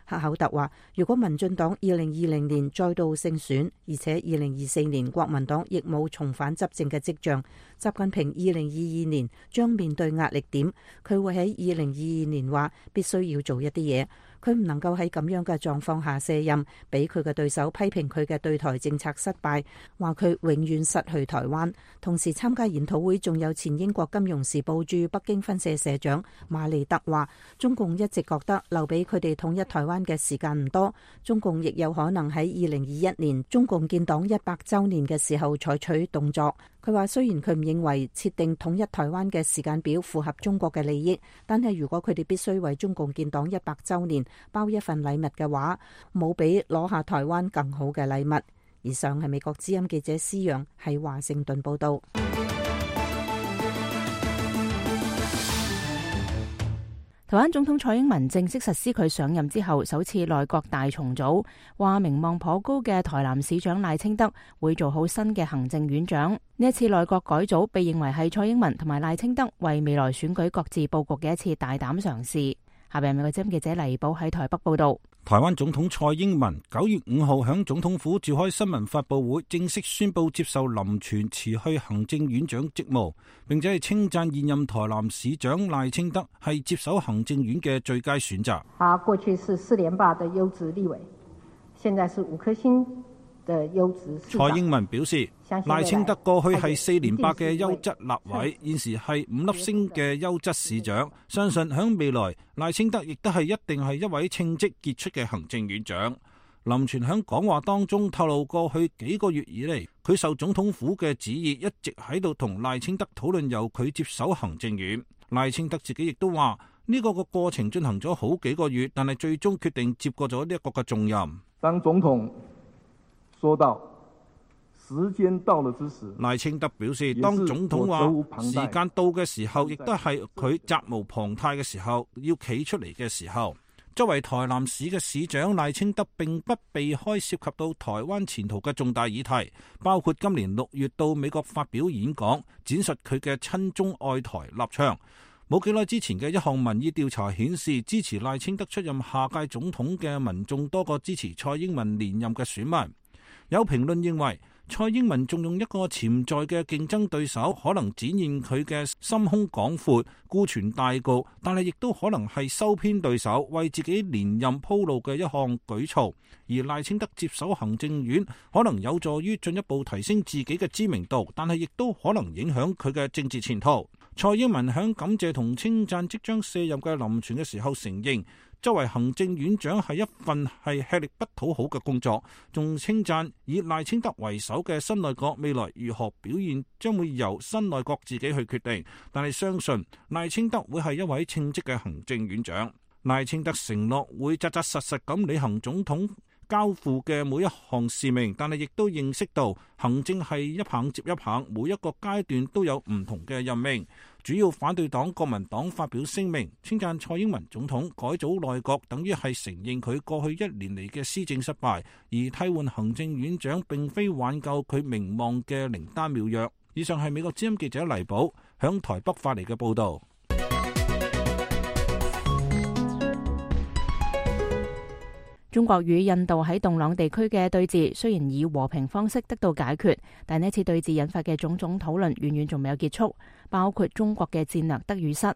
克考特話，如果民進黨2020年再度勝選，而且2024年國民黨亦冇重返執政嘅跡象，習近平2022年將面對壓力點。佢會喺2022年話必須要做一啲嘢。佢唔能夠喺咁樣嘅狀況下卸任，俾佢嘅對手批評佢嘅對台政策失敗，話佢永遠失去台灣。同時參加研討會仲有前英國金融時報駐北京分社社長馬利德話，中共一直覺得留俾佢哋統一台灣嘅時間唔多，中共亦有可能喺2021年中共建黨100週年嘅時候採取動作。佢話雖然佢唔認為設定統一台灣嘅時間表符合中國嘅利益，但係如果佢哋必須為中共建黨100週年包一份禮物嘅話，冇比攞下台灣更好嘅禮物。以上係美國之音記者施洋喺華盛頓報道。台灣總統蔡英文正式實施佢上任之後首次內閣大重組，話名望頗高嘅台南市長賴清德會做好新嘅行政院長。呢一次內閣改組被認為係蔡英文同埋賴清德為未來選舉各自佈局嘅一次大膽嘗試。下邊美國之音記者黎寶喺台北報道。台灣總統蔡英文9月5號響總統府召開新聞發佈會，正式宣布接受林全辭去行政院長職務，並且係稱讚現任台南市長賴清德係接手行政院嘅最佳選擇。他過去是4連霸的優質立委，現在是5顆星的優質市長。蔡英文表示，賴清德過去係4連霸嘅優質立委，現時係5粒星嘅優質市長。相信響未來，賴清德亦都係一定係一位稱職傑出嘅行政院長。林全響講話當中透露，過去幾個月以嚟，佢受總統府嘅旨意，一直喺度同賴清德討論由佢接手行政院。賴清德自己亦都話，呢個過程進行咗好幾個月，但係最終決定接過咗呢一個嘅重任。當總統說到時間到了之時，賴清德表示，當總統話時間到嘅時候，亦都係佢責無旁貸嘅時候，要企出嚟嘅時候。作為台南市嘅市長，賴清德並不避開涉及到台灣前途嘅重大議題，包括今年6月到美國發表演講，展述佢嘅親中愛台立場。冇幾耐之前嘅一項民意調查顯示，支持賴清德出任下屆總統嘅民眾多過支持蔡英文連任嘅選民。有評論認為，蔡英文仲用一個潛在嘅競爭對手，可能展現佢嘅心胸廣闊、顧全大局，但係亦都可能係收編對手，為自己連任鋪路嘅一項舉措。而賴清德接手行政院，可能有助於進一步提升自己嘅知名度，但係亦都可能影響佢嘅政治前途。蔡英文響感謝同稱讚即將卸任嘅林全嘅時候承認，作為行政院長係一份係吃力不討好嘅工作，仲稱讚以賴清德為首嘅新內閣未來如何表現將會由新內閣自己去決定，但係相信賴清德會係一位稱職嘅行政院長。賴清德承諾會扎扎實實咁履行總統交付嘅每一項使命，但係亦都認識到行政係一棒接一棒，每一個階段都有唔同嘅任命。主要反對黨國民黨發表聲明，稱讚蔡英文總統改組內閣，等於係承認佢過去1年嚟嘅施政失敗，而替換行政院長並非挽救佢名望嘅靈丹妙藥。以上係美國之音記者黎寶響台北發嚟嘅報道。中國與印度喺洞朗地區嘅對峙雖然以和平方式得到解決，但呢次對峙引發嘅種種討論遠遠仲未有結束，包括中國嘅戰略得與失。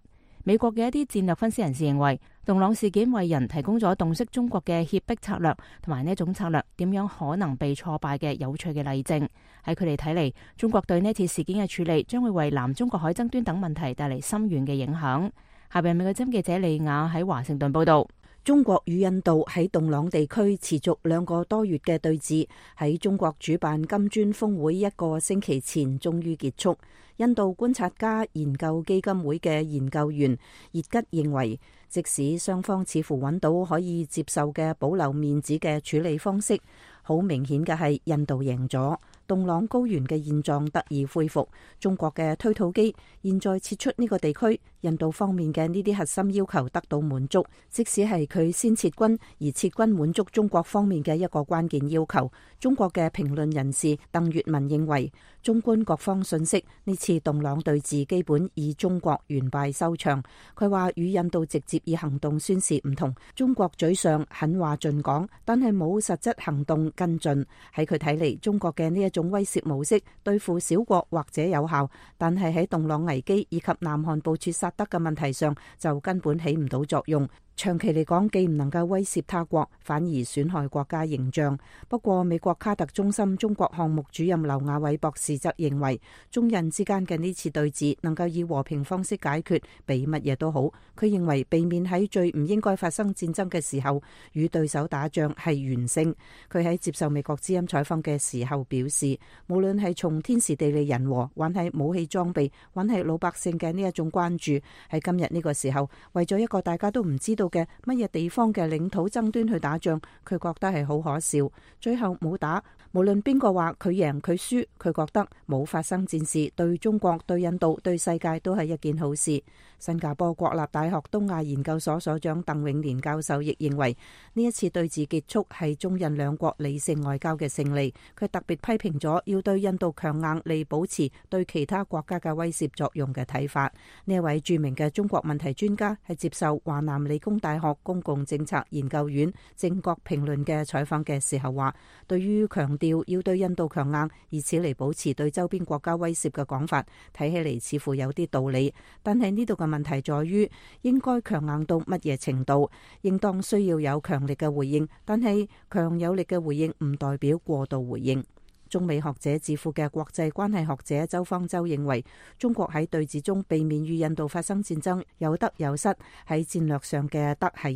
美國嘅一啲戰略分析人士認為，洞朗事件為人提供咗洞悉中國嘅脅迫策略同埋呢一種策略點樣可能被挫敗嘅有趣嘅例證。喺佢哋睇嚟，中國對呢次事件嘅處理將會為南中國海爭端等問題帶嚟深遠嘅影響。下邊美國之音記者李雅喺華盛頓報道。中國與印度喺洞朗地區持續2個多月嘅對峙，喺中國主辦金磚峰會1個星期前終於結束。印度觀察家研究基金會嘅研究員葉吉認為，即使雙方似乎揾到可以接受嘅保留面子嘅處理方式，好明顯嘅係印度贏咗，洞朗高原嘅現狀得以恢復。中國嘅推土機現在撤出呢個地區，印度方面嘅呢啲核心要求得到滿足，即使係佢先撤軍，而撤軍滿足中國方面嘅一個關鍵要求。中國嘅評論人士鄧月文認為，綜觀各方信息，呢次洞朗對峙基本以中國完敗收場。佢話與印度直接以行動宣示唔同，中國嘴上狠話盡講，但係冇實質行動跟進。喺佢睇嚟，中國嘅呢一種威懾模式對付小國或者有效，但係喺洞朗危機以及南韓部署薩德嘅問題上就根本起唔到作用。長期嚟講，既唔能夠威懾他國，反而損害國家形象。不過，美國卡特中心中國項目主任劉亞偉博士則認為，中印之間嘅呢次對峙能夠以和平方式解決，比乜嘢都好。佢認為避免喺最唔應該發生戰爭嘅時候與對手打仗係完勝。佢喺接受美國之音採訪嘅時候表示，無論係從天時地利人和，還係武器裝備，還係老百姓嘅呢一種關注，喺今日呢個時候，為咗一個大家都唔知道度嘅乜嘢地方嘅領土爭端去打仗，佢覺得係好可笑。最後冇打，無論邊個話佢贏佢輸，佢覺得冇發生戰事，對中國、對印度、對世界都係一件好事。新加坡國立大學東亞研究所所長鄧永年教授亦認為，呢一次對峙結束係中印兩國理性外交嘅勝利。佢特別批評咗要對印度強硬嚟保持對其他國家嘅威懾作用嘅睇法。呢一位著名嘅中國問題專家係接受華南理工大學公共政策研究院正國評論嘅採訪嘅時候話，對於強調要對印度強硬，以此嚟保持對周邊國家威懾嘅講法，睇起嚟似乎有啲道理。但係呢度嘅問題在於，應該強硬到乜嘢程度？應當需要有強力嘅回應，但係強有力嘅回應唔代表過度回應。中美學者智庫嘅國際關係學者周方舟認為，中國喺對峙中避免與印度發生戰爭，有得有失。喺戰略上嘅得係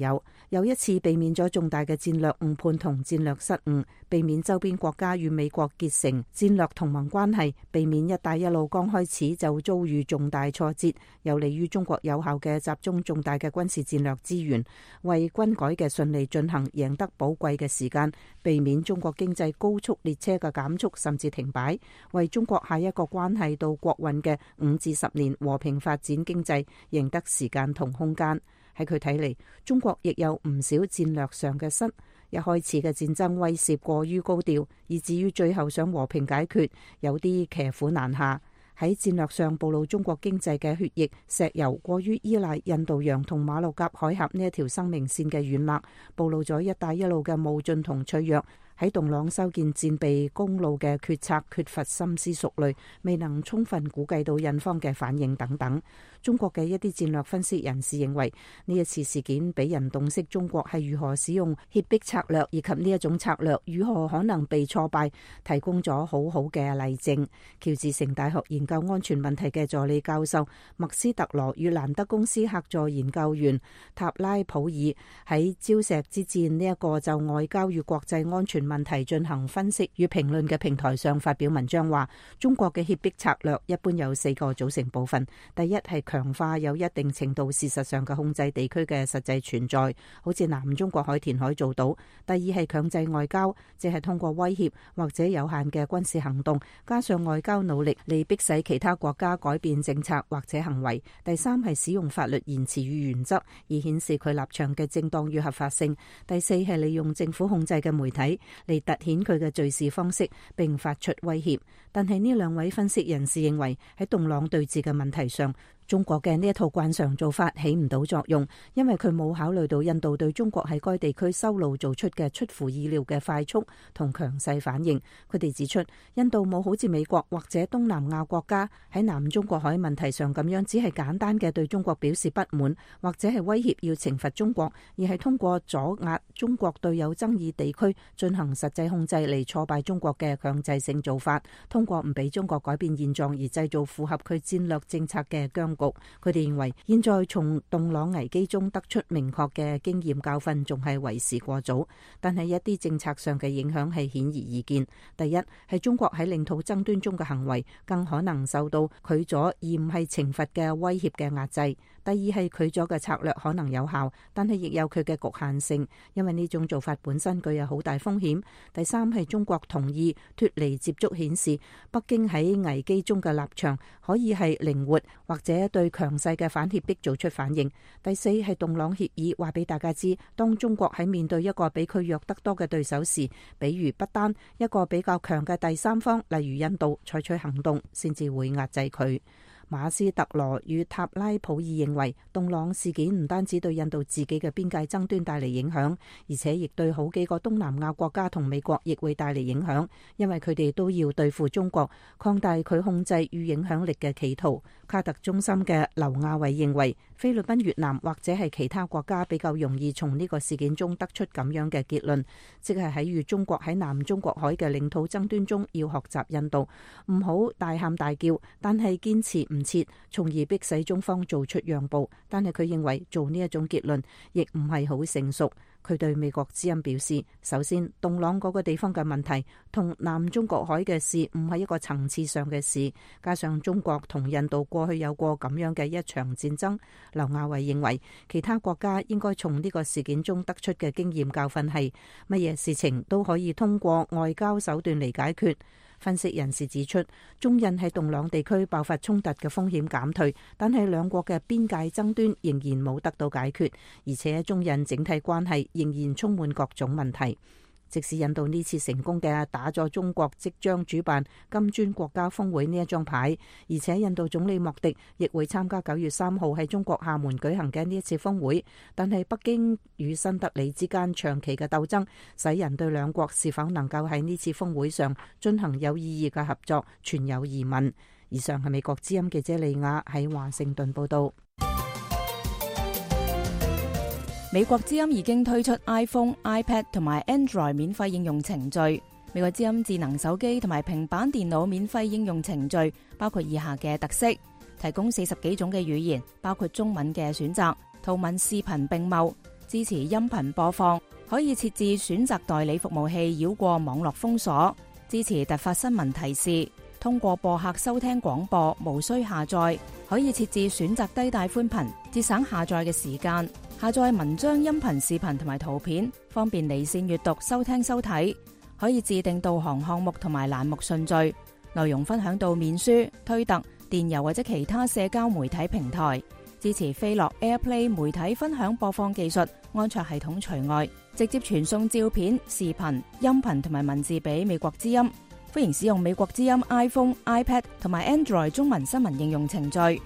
有一次避免咗重大嘅戰略誤判同戰略失誤，避免周邊國家與美國結成戰略同盟關係，避免一帶一路剛開始就遭遇重大挫折，有利於中國有效嘅集中重大嘅軍事戰略資源，為軍改嘅順利進行贏得寶貴嘅時間，避免中國經濟高速列車嘅減速甚至停擺，為中國下一個關係到國運嘅5至10年和平發展經濟贏得時間同空間。喺佢睇嚟，中國亦有唔少戰略上嘅失。一開始嘅戰爭威懾過於高調，以至於最後想和平解決，有啲騎虎難下。喺戰略上暴露中國經濟嘅血液石油過於依賴印度洋同馬六甲海峽呢一條生命線嘅軟肋，暴露咗一帶一路嘅冒進同脆弱。喺洞朗修建戰備公路嘅決策缺乏深思熟慮，未能充分估計到印方嘅反應等等。中國嘅一啲戰略分析人士認為，呢一次事件俾人洞悉中國係如何使用脅迫策略，以及呢一種策略如何可能被挫敗，提供咗好好嘅例證。喬治城大學研究安全問題嘅助理教授麥斯特羅與蘭德公司客座研究員塔拉普爾喺礁石之戰呢一個就外交與國際安全問題進行分析與評論嘅平台上發表文章話，中國嘅脅迫策略一般有4個組成部分。第一係強化有一定程度事實上嘅控制地區嘅實際存在，好似南中國海填海做到。第二係強制外交，即係通過威脅或者有限嘅軍事行動，加上外交努力嚟迫使其他國家改變政策或者行為。第三係使用法律言辭與原則，以顯示佢立場嘅正當與合法性。第四係利用政府控制嘅媒體嚟凸顯佢嘅敘事方式，並發出威脅。但係呢兩位分析人士認為，喺洞朗對峙嘅問題上，中國嘅呢一套慣常做法起唔到作用，因為佢冇考慮到印度對中國喺該地區修路做出嘅出乎意料嘅快速同強勢反應。佢哋指出，印度冇好似美國或者東南亞國家喺南中國海問題上咁樣，只係簡單嘅對中國表示不滿，或者係威脅要懲罰中國，而係通過阻壓中國對有爭議地區進行實際控制嚟挫敗中國嘅強制性做法，通過唔俾中國改變現狀而製造符合佢戰略政策嘅僵局。佢哋認為，現在從洞朗危機中得出明確嘅經驗教訓仲係為時過早，但係一啲政策上嘅影響係顯而易見。第一係中國喺領土爭端中嘅行為更可能受到拒阻而唔係懲罰嘅威脅嘅壓制。第二係拒阻嘅策略可能有效，但係亦有佢嘅局限性，因為呢種做法本身具有好大風險。第三係中國同意脫離接觸，顯示北京喺危機中嘅立場可以係靈活，或者對強勢嘅反脅迫做出反應。第四係洞朗協議話俾大家知，當中國喺面對一個比佢弱得多嘅對手時，比如不單一個比較強嘅第三方，例如印度，採取行動先至會壓制佢。馬斯特羅與塔拉普爾認為，洞朗事件唔單止對印度自己嘅邊界爭端帶嚟影響，而且亦對好幾個東南亞國家同美國亦會帶嚟影響，因為佢哋都要對付中國，擴大佢控制與影響力嘅企圖。卡特中心嘅劉亞偉認為，菲律賓、越南或者係其他國家比較容易從呢個事件中得出咁樣嘅結論，即係喺與中國喺南中國海嘅領土爭端中要學習印度，唔好大喊大叫，但係堅持唔切，從而迫使中方做出讓步。但係佢認為做呢一種結論亦唔係好成熟。佢對美國之音表示，首先，洞朗嗰個地方嘅問題同南中國海嘅事唔係一個層次上嘅事，加上中國同印度過去有過咁樣嘅一場戰爭。劉亞偉認為，其他國家應該從呢個事件中得出嘅經驗教訓係，乜嘢事情都可以通過外交手段嚟解決。分析人士指出，中印喺洞朗地區爆發衝突嘅風險減退，但係兩國嘅邊界爭端仍然冇得到解決，而且中印整體關係仍然充滿各種問題。即使印度呢次成功嘅打咗中國即將主辦金磚國家峰會呢一張牌，而且印度總理莫迪亦會參加9月3號喺中國廈門舉行嘅呢一次峰會，但係北京與新德里之間長期嘅鬥爭，使人對兩國是否能夠喺呢次峰會上進行有意義嘅合作存有疑問。以上係美國之音記者利亞喺華盛頓報道。美國之音已經推出 iPhone、iPad 同埋 Android 免費應用程序。美國之音智能手機同埋平板電腦免費應用程序包括以下嘅特色：提供40幾種嘅語言，包括中文嘅選擇，圖文視頻並茂，支持音頻播放，可以設置選擇代理服務器繞過網絡封鎖，支持突發新聞提示，通過播客收聽廣播，無需下載，可以設置選擇低帶寬頻，節省下載嘅時間。下載文章、音頻、視頻同埋圖片，方便離線閱讀、收聽、收睇。可以自定導航項目同埋欄目順序，內容分享到面書、推特、電郵或者其他社交媒體平台。支持飛樂 AirPlay 媒體分享播放技術，安卓系統除外。直接傳送照片、視頻、音頻同埋文字俾美國之音。歡迎使用美國之音 iPhone、iPad 同埋 Android 中文新聞應用程序。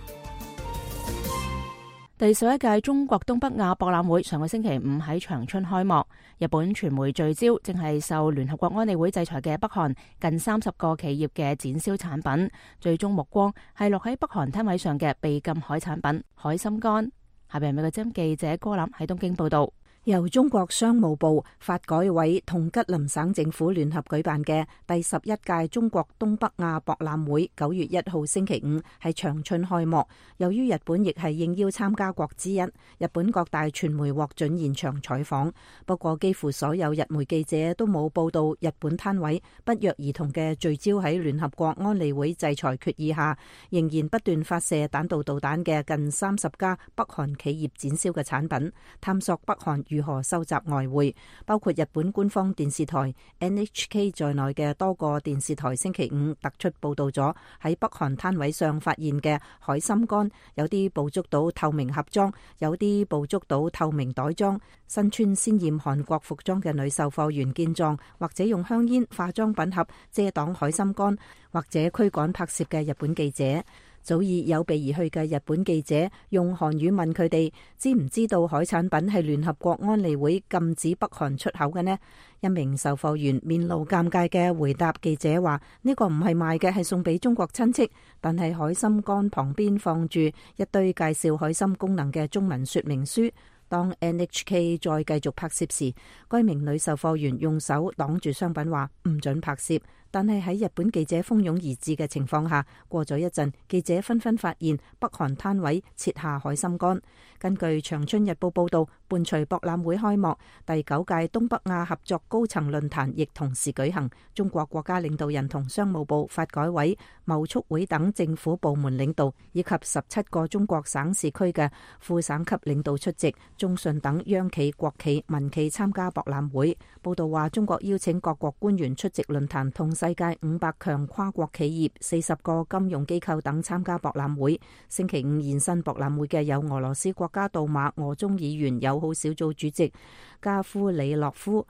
第11屆中國東北亞博覽會上個星期五喺長春開幕。日本傳媒聚焦正係受聯合國安理會制裁嘅北韓近30個企業嘅展銷產品，最終目光係落喺北韓攤位上嘅被禁海產品海參乾。下邊係美國之音記者柯林喺東京報道。由中國商務部、發改委同吉林省政府聯合舉辦嘅第11屆中國東北亞博覽會9月1號星期五喺長春開幕。由於日本亦係應邀參加國之一，日本各大傳媒獲准現場採訪。不過幾乎所有日媒記者都冇報道日本攤位不約而同嘅聚焦喺聯合國安理會制裁決議下仍然不斷發射彈道導彈嘅近30家北韓企業展銷嘅產品，探索北韓如何收集外匯。包括日本官方電視台 NHK 在內嘅多個電視台星期五突出報道咗喺北韓攤位上發現嘅海參乾，有啲捕捉到透明盒裝，有啲捕捉到透明袋裝。身穿鮮豔韓國服裝嘅女售貨員見狀，或者用香煙、化妝品盒遮擋海參乾，或者驅趕拍攝嘅日本記者。早已有備而去嘅日本記者用韓語問佢哋知唔知道海產品係聯合國安理會禁止北韓出口嘅呢？一名售貨員面露尷尬嘅回答記者話：呢個唔係賣嘅，係送俾中國親戚。但係海參乾旁邊放住一堆介紹海參功能嘅中文說明書。當 NHK 再繼續拍攝時，該名女售貨員用手擋住商品話唔准拍攝。但係喺日本記者蜂擁而至嘅情況下，過咗一陣，記者紛紛發現北韓攤位設下海參乾。根據長春日報報道，伴隨博覽會開幕，第9屆東北亞合作高層論壇亦同時舉行。中國國家領導人同商務部、發改委、貿促會等政府部門領導，以及17個中國省市區嘅副省級領導出席，中信等央企、國企、民企參加博覽會。報道話，中國邀請各國官員出席論壇，同世界500強跨國企業、40個金融機構等參加博覽會。星期五現身博覽會嘅有俄羅斯國家杜馬俄中議員友好小組主席加夫里諾夫、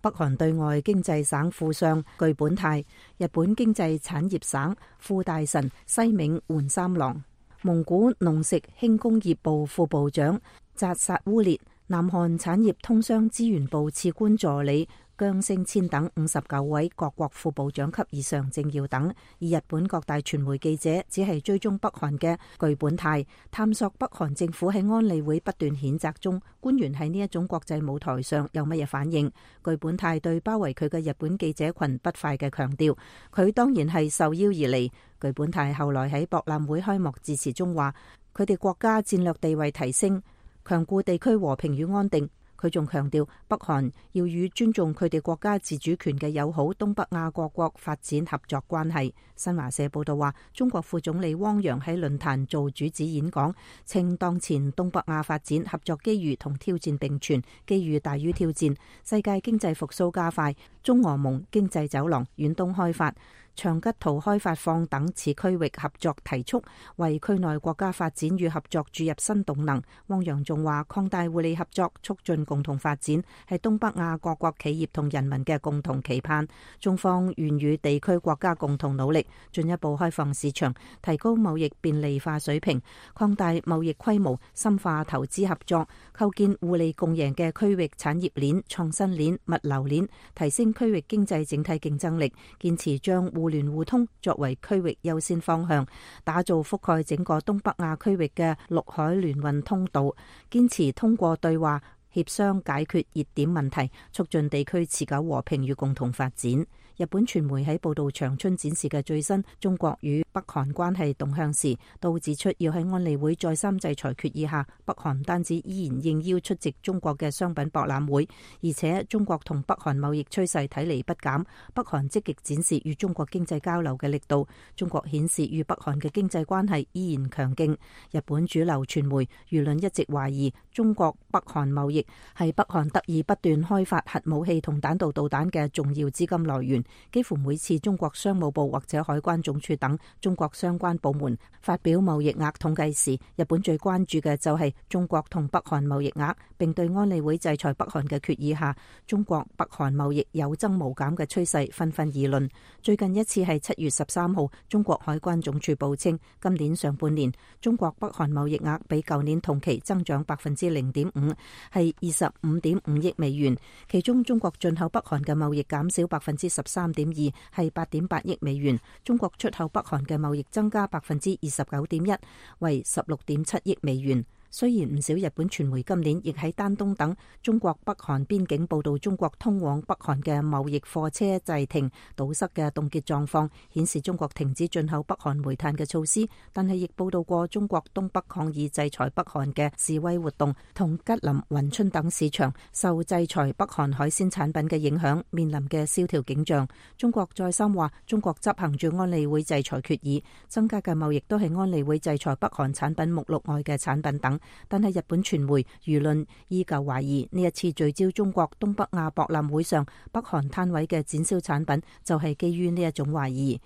北韓對外經濟省副相具本泰、日本經濟產業省副大臣西銘媛三郎、蒙古農食輕工業部副部長扎薩烏列、南韓產業通商資源部次官助理姜星千等59位各國副部長級以上政要等，而日本各大傳媒記者只係追蹤北韓嘅具本泰，探索北韓政府喺安理會不斷譴責中，官員喺呢一種國際舞台上有乜嘢反應。具本泰對包圍佢嘅日本記者群不快嘅強調，佢當然係受邀而嚟。具本泰後來喺博覽會開幕致辭中話，佢哋國家戰略地位提升，強固地區和平與安定。佢仲強調北韓要與尊重佢哋國家自主權嘅友好東北亞各國發展合作關係。新華社報道話，中國副總理汪洋喺論壇做主旨演講，稱當前東北亞發展合作機遇同挑戰並存，機遇大於挑戰，世界經濟復甦加快，中俄蒙經濟走廊、遠東開發、長吉圖開發放等此區域合作提速，為區內國家發展與合作注入新動能。汪洋仲話，擴大互利合作，促進共同發展，係東北亞各國企業同人民嘅共同期盼。中方願與地區國家共同努力，進一步開放市場，提高貿易便利化水平，擴大貿易規模，深化投資合作，構建互利共贏嘅區域產業鏈、創新鏈、物流鏈，提升區域經濟整體競爭力。堅持將互聯互通作為區域優先方向，打造覆蓋整個東北亞區域嘅陸海聯運通道，堅持通過對話協商解決熱點問題，促進地區持久和平與共同發展。日本傳媒喺報道長春展示嘅最新中國與北韓關係動向時，都指出要喺安理會再三制裁決議下，北韓唔單止依然應邀出席中國嘅商品博覽會，而且中國同北韓貿易趨勢睇嚟不減，北韓積極展示與中國經濟交流嘅力度，中國顯示與北韓嘅經濟關係依然強勁。日本主流傳媒輿論一直懷疑中國北韓貿易係北韓得以不斷開發核武器同彈道導彈嘅重要資金來源。幾乎每次中國商務部或者海關總署等中國相關部門發表貿易額統計時，日本最關注嘅就係中國同北韓貿易額，並對安理會制裁北韓嘅決議下，中國北韓貿易有增無減嘅趨勢紛紛議論。最近一次係7月13號，中國海關總署報稱，今年上半年中國北韓貿易額比舊年同期增長0.5%，係25.5億美元，其中中國進口北韓嘅貿易減少13.2%，係8.8億美元。中國出口北韓嘅貿易增加29.1%，為16.7億美元。雖然唔少日本傳媒今年亦喺丹東等中國北韓邊境報道中國通往北韓嘅貿易貨車滯停堵塞嘅凍結狀況，顯示中國停止進口北韓煤炭嘅措施，但係亦報道過中國東北抗議制裁北韓嘅示威活動，同吉林、雲春等市場受制裁北韓海鮮產品嘅影響面臨嘅蕭條景象。中國再三話中國執行住安理會制裁決議，增加嘅貿易都係安理會制裁北韓產品目錄外嘅產品等。但係日本傳媒輿論依舊懷疑呢一次聚焦中國東北亞博覽會上北韓攤位嘅展銷產品，就係基於呢一種懷疑。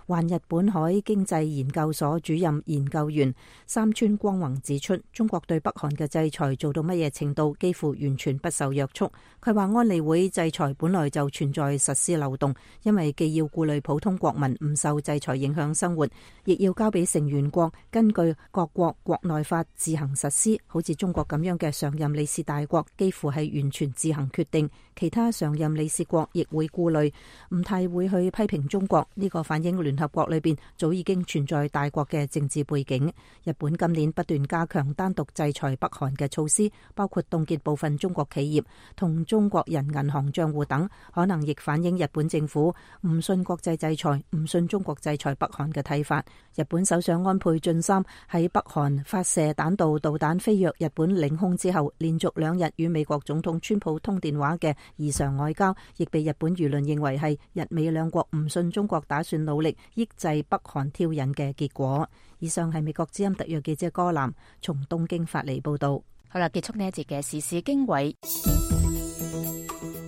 環日本海經濟研究所主任研究員三川光宏指出，中國對北韓嘅制裁做到乜嘢程度，幾乎完全不受約束。佢話安理會制裁本來就存在實施漏洞，因為既要顧慮普通國民唔受制裁影響生活，亦要交俾成員國根據各國國內法自行實施。好似中國咁樣嘅常任理事大國，幾乎係完全自行決定，其他常任理事國亦會顧慮，唔太會去批評中國。呢個反映聯合國裏邊早已經存在大國嘅政治背景。日本今年不斷加強單獨制裁北韓嘅措施，包括凍結部分中國企業同中國人銀行賬戶等，可能亦反映日本政府唔信國際制裁、唔信中國制裁北韓嘅睇法。日本首相安倍晉三喺北韓發射彈道導彈飛越日本領空之後，連續2日與美國總統川普通電話嘅異常外交，亦被日本輿論認為係日美兩國唔信中國打算努力抑制北韓挑釁嘅結果。以上係美國之音特約記者柯南從東京發嚟報道。好啦，結束呢一節嘅時事經緯。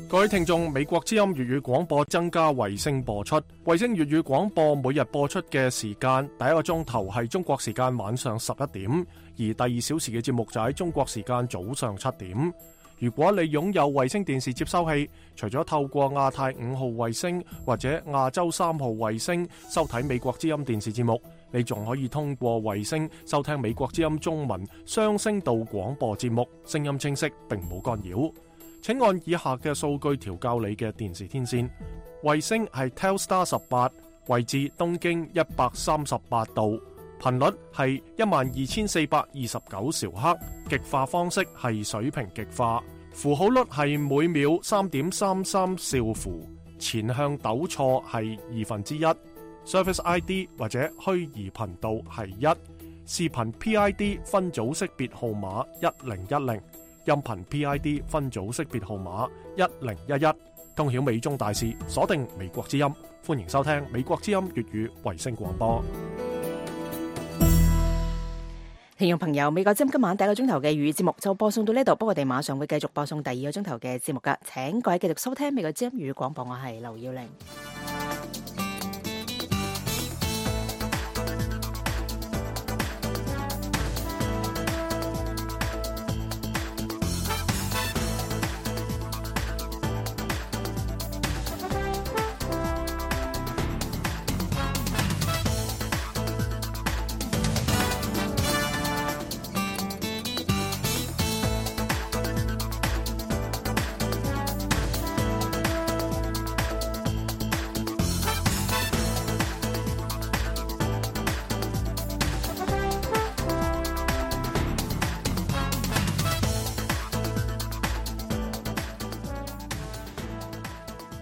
各位聽眾，美國之音粵語廣播增加衛星播出。衛星粵語廣播每日播出嘅時間，第一個鐘頭係中國時間晚上11點，而第2小時嘅節目就喺中國時間早上7點。如果你擁有衛星電視接收器，除咗透過亞太5號衛星或者亞洲3號衛星收睇美國之音電視節目，你仲可以通過衛星收聽美國之音中文雙聲道廣播節目，聲音清晰並冇干擾。請按以下嘅數據調校你嘅電視天線。衛星係 Telstar 18，位置東經138度，頻率係12429兆赫，極化方式係水平極化，符號率係每秒3.33兆符，前向抖錯係1/2， Service ID 或者虛擬頻道係1，視頻 PID 分組識別號碼1010。音頻 PID 分組識別號碼1011，通曉美中大事，鎖定美國之音。歡迎收聽美國之音粵語衛星廣播。聽眾朋友，美國之音今晚第一個鐘頭嘅粵語節目就播送到呢度，不過我哋馬上會繼續播送第二個鐘頭嘅節目噶，請各位繼續收聽美國之音粵語廣播，我係劉耀玲。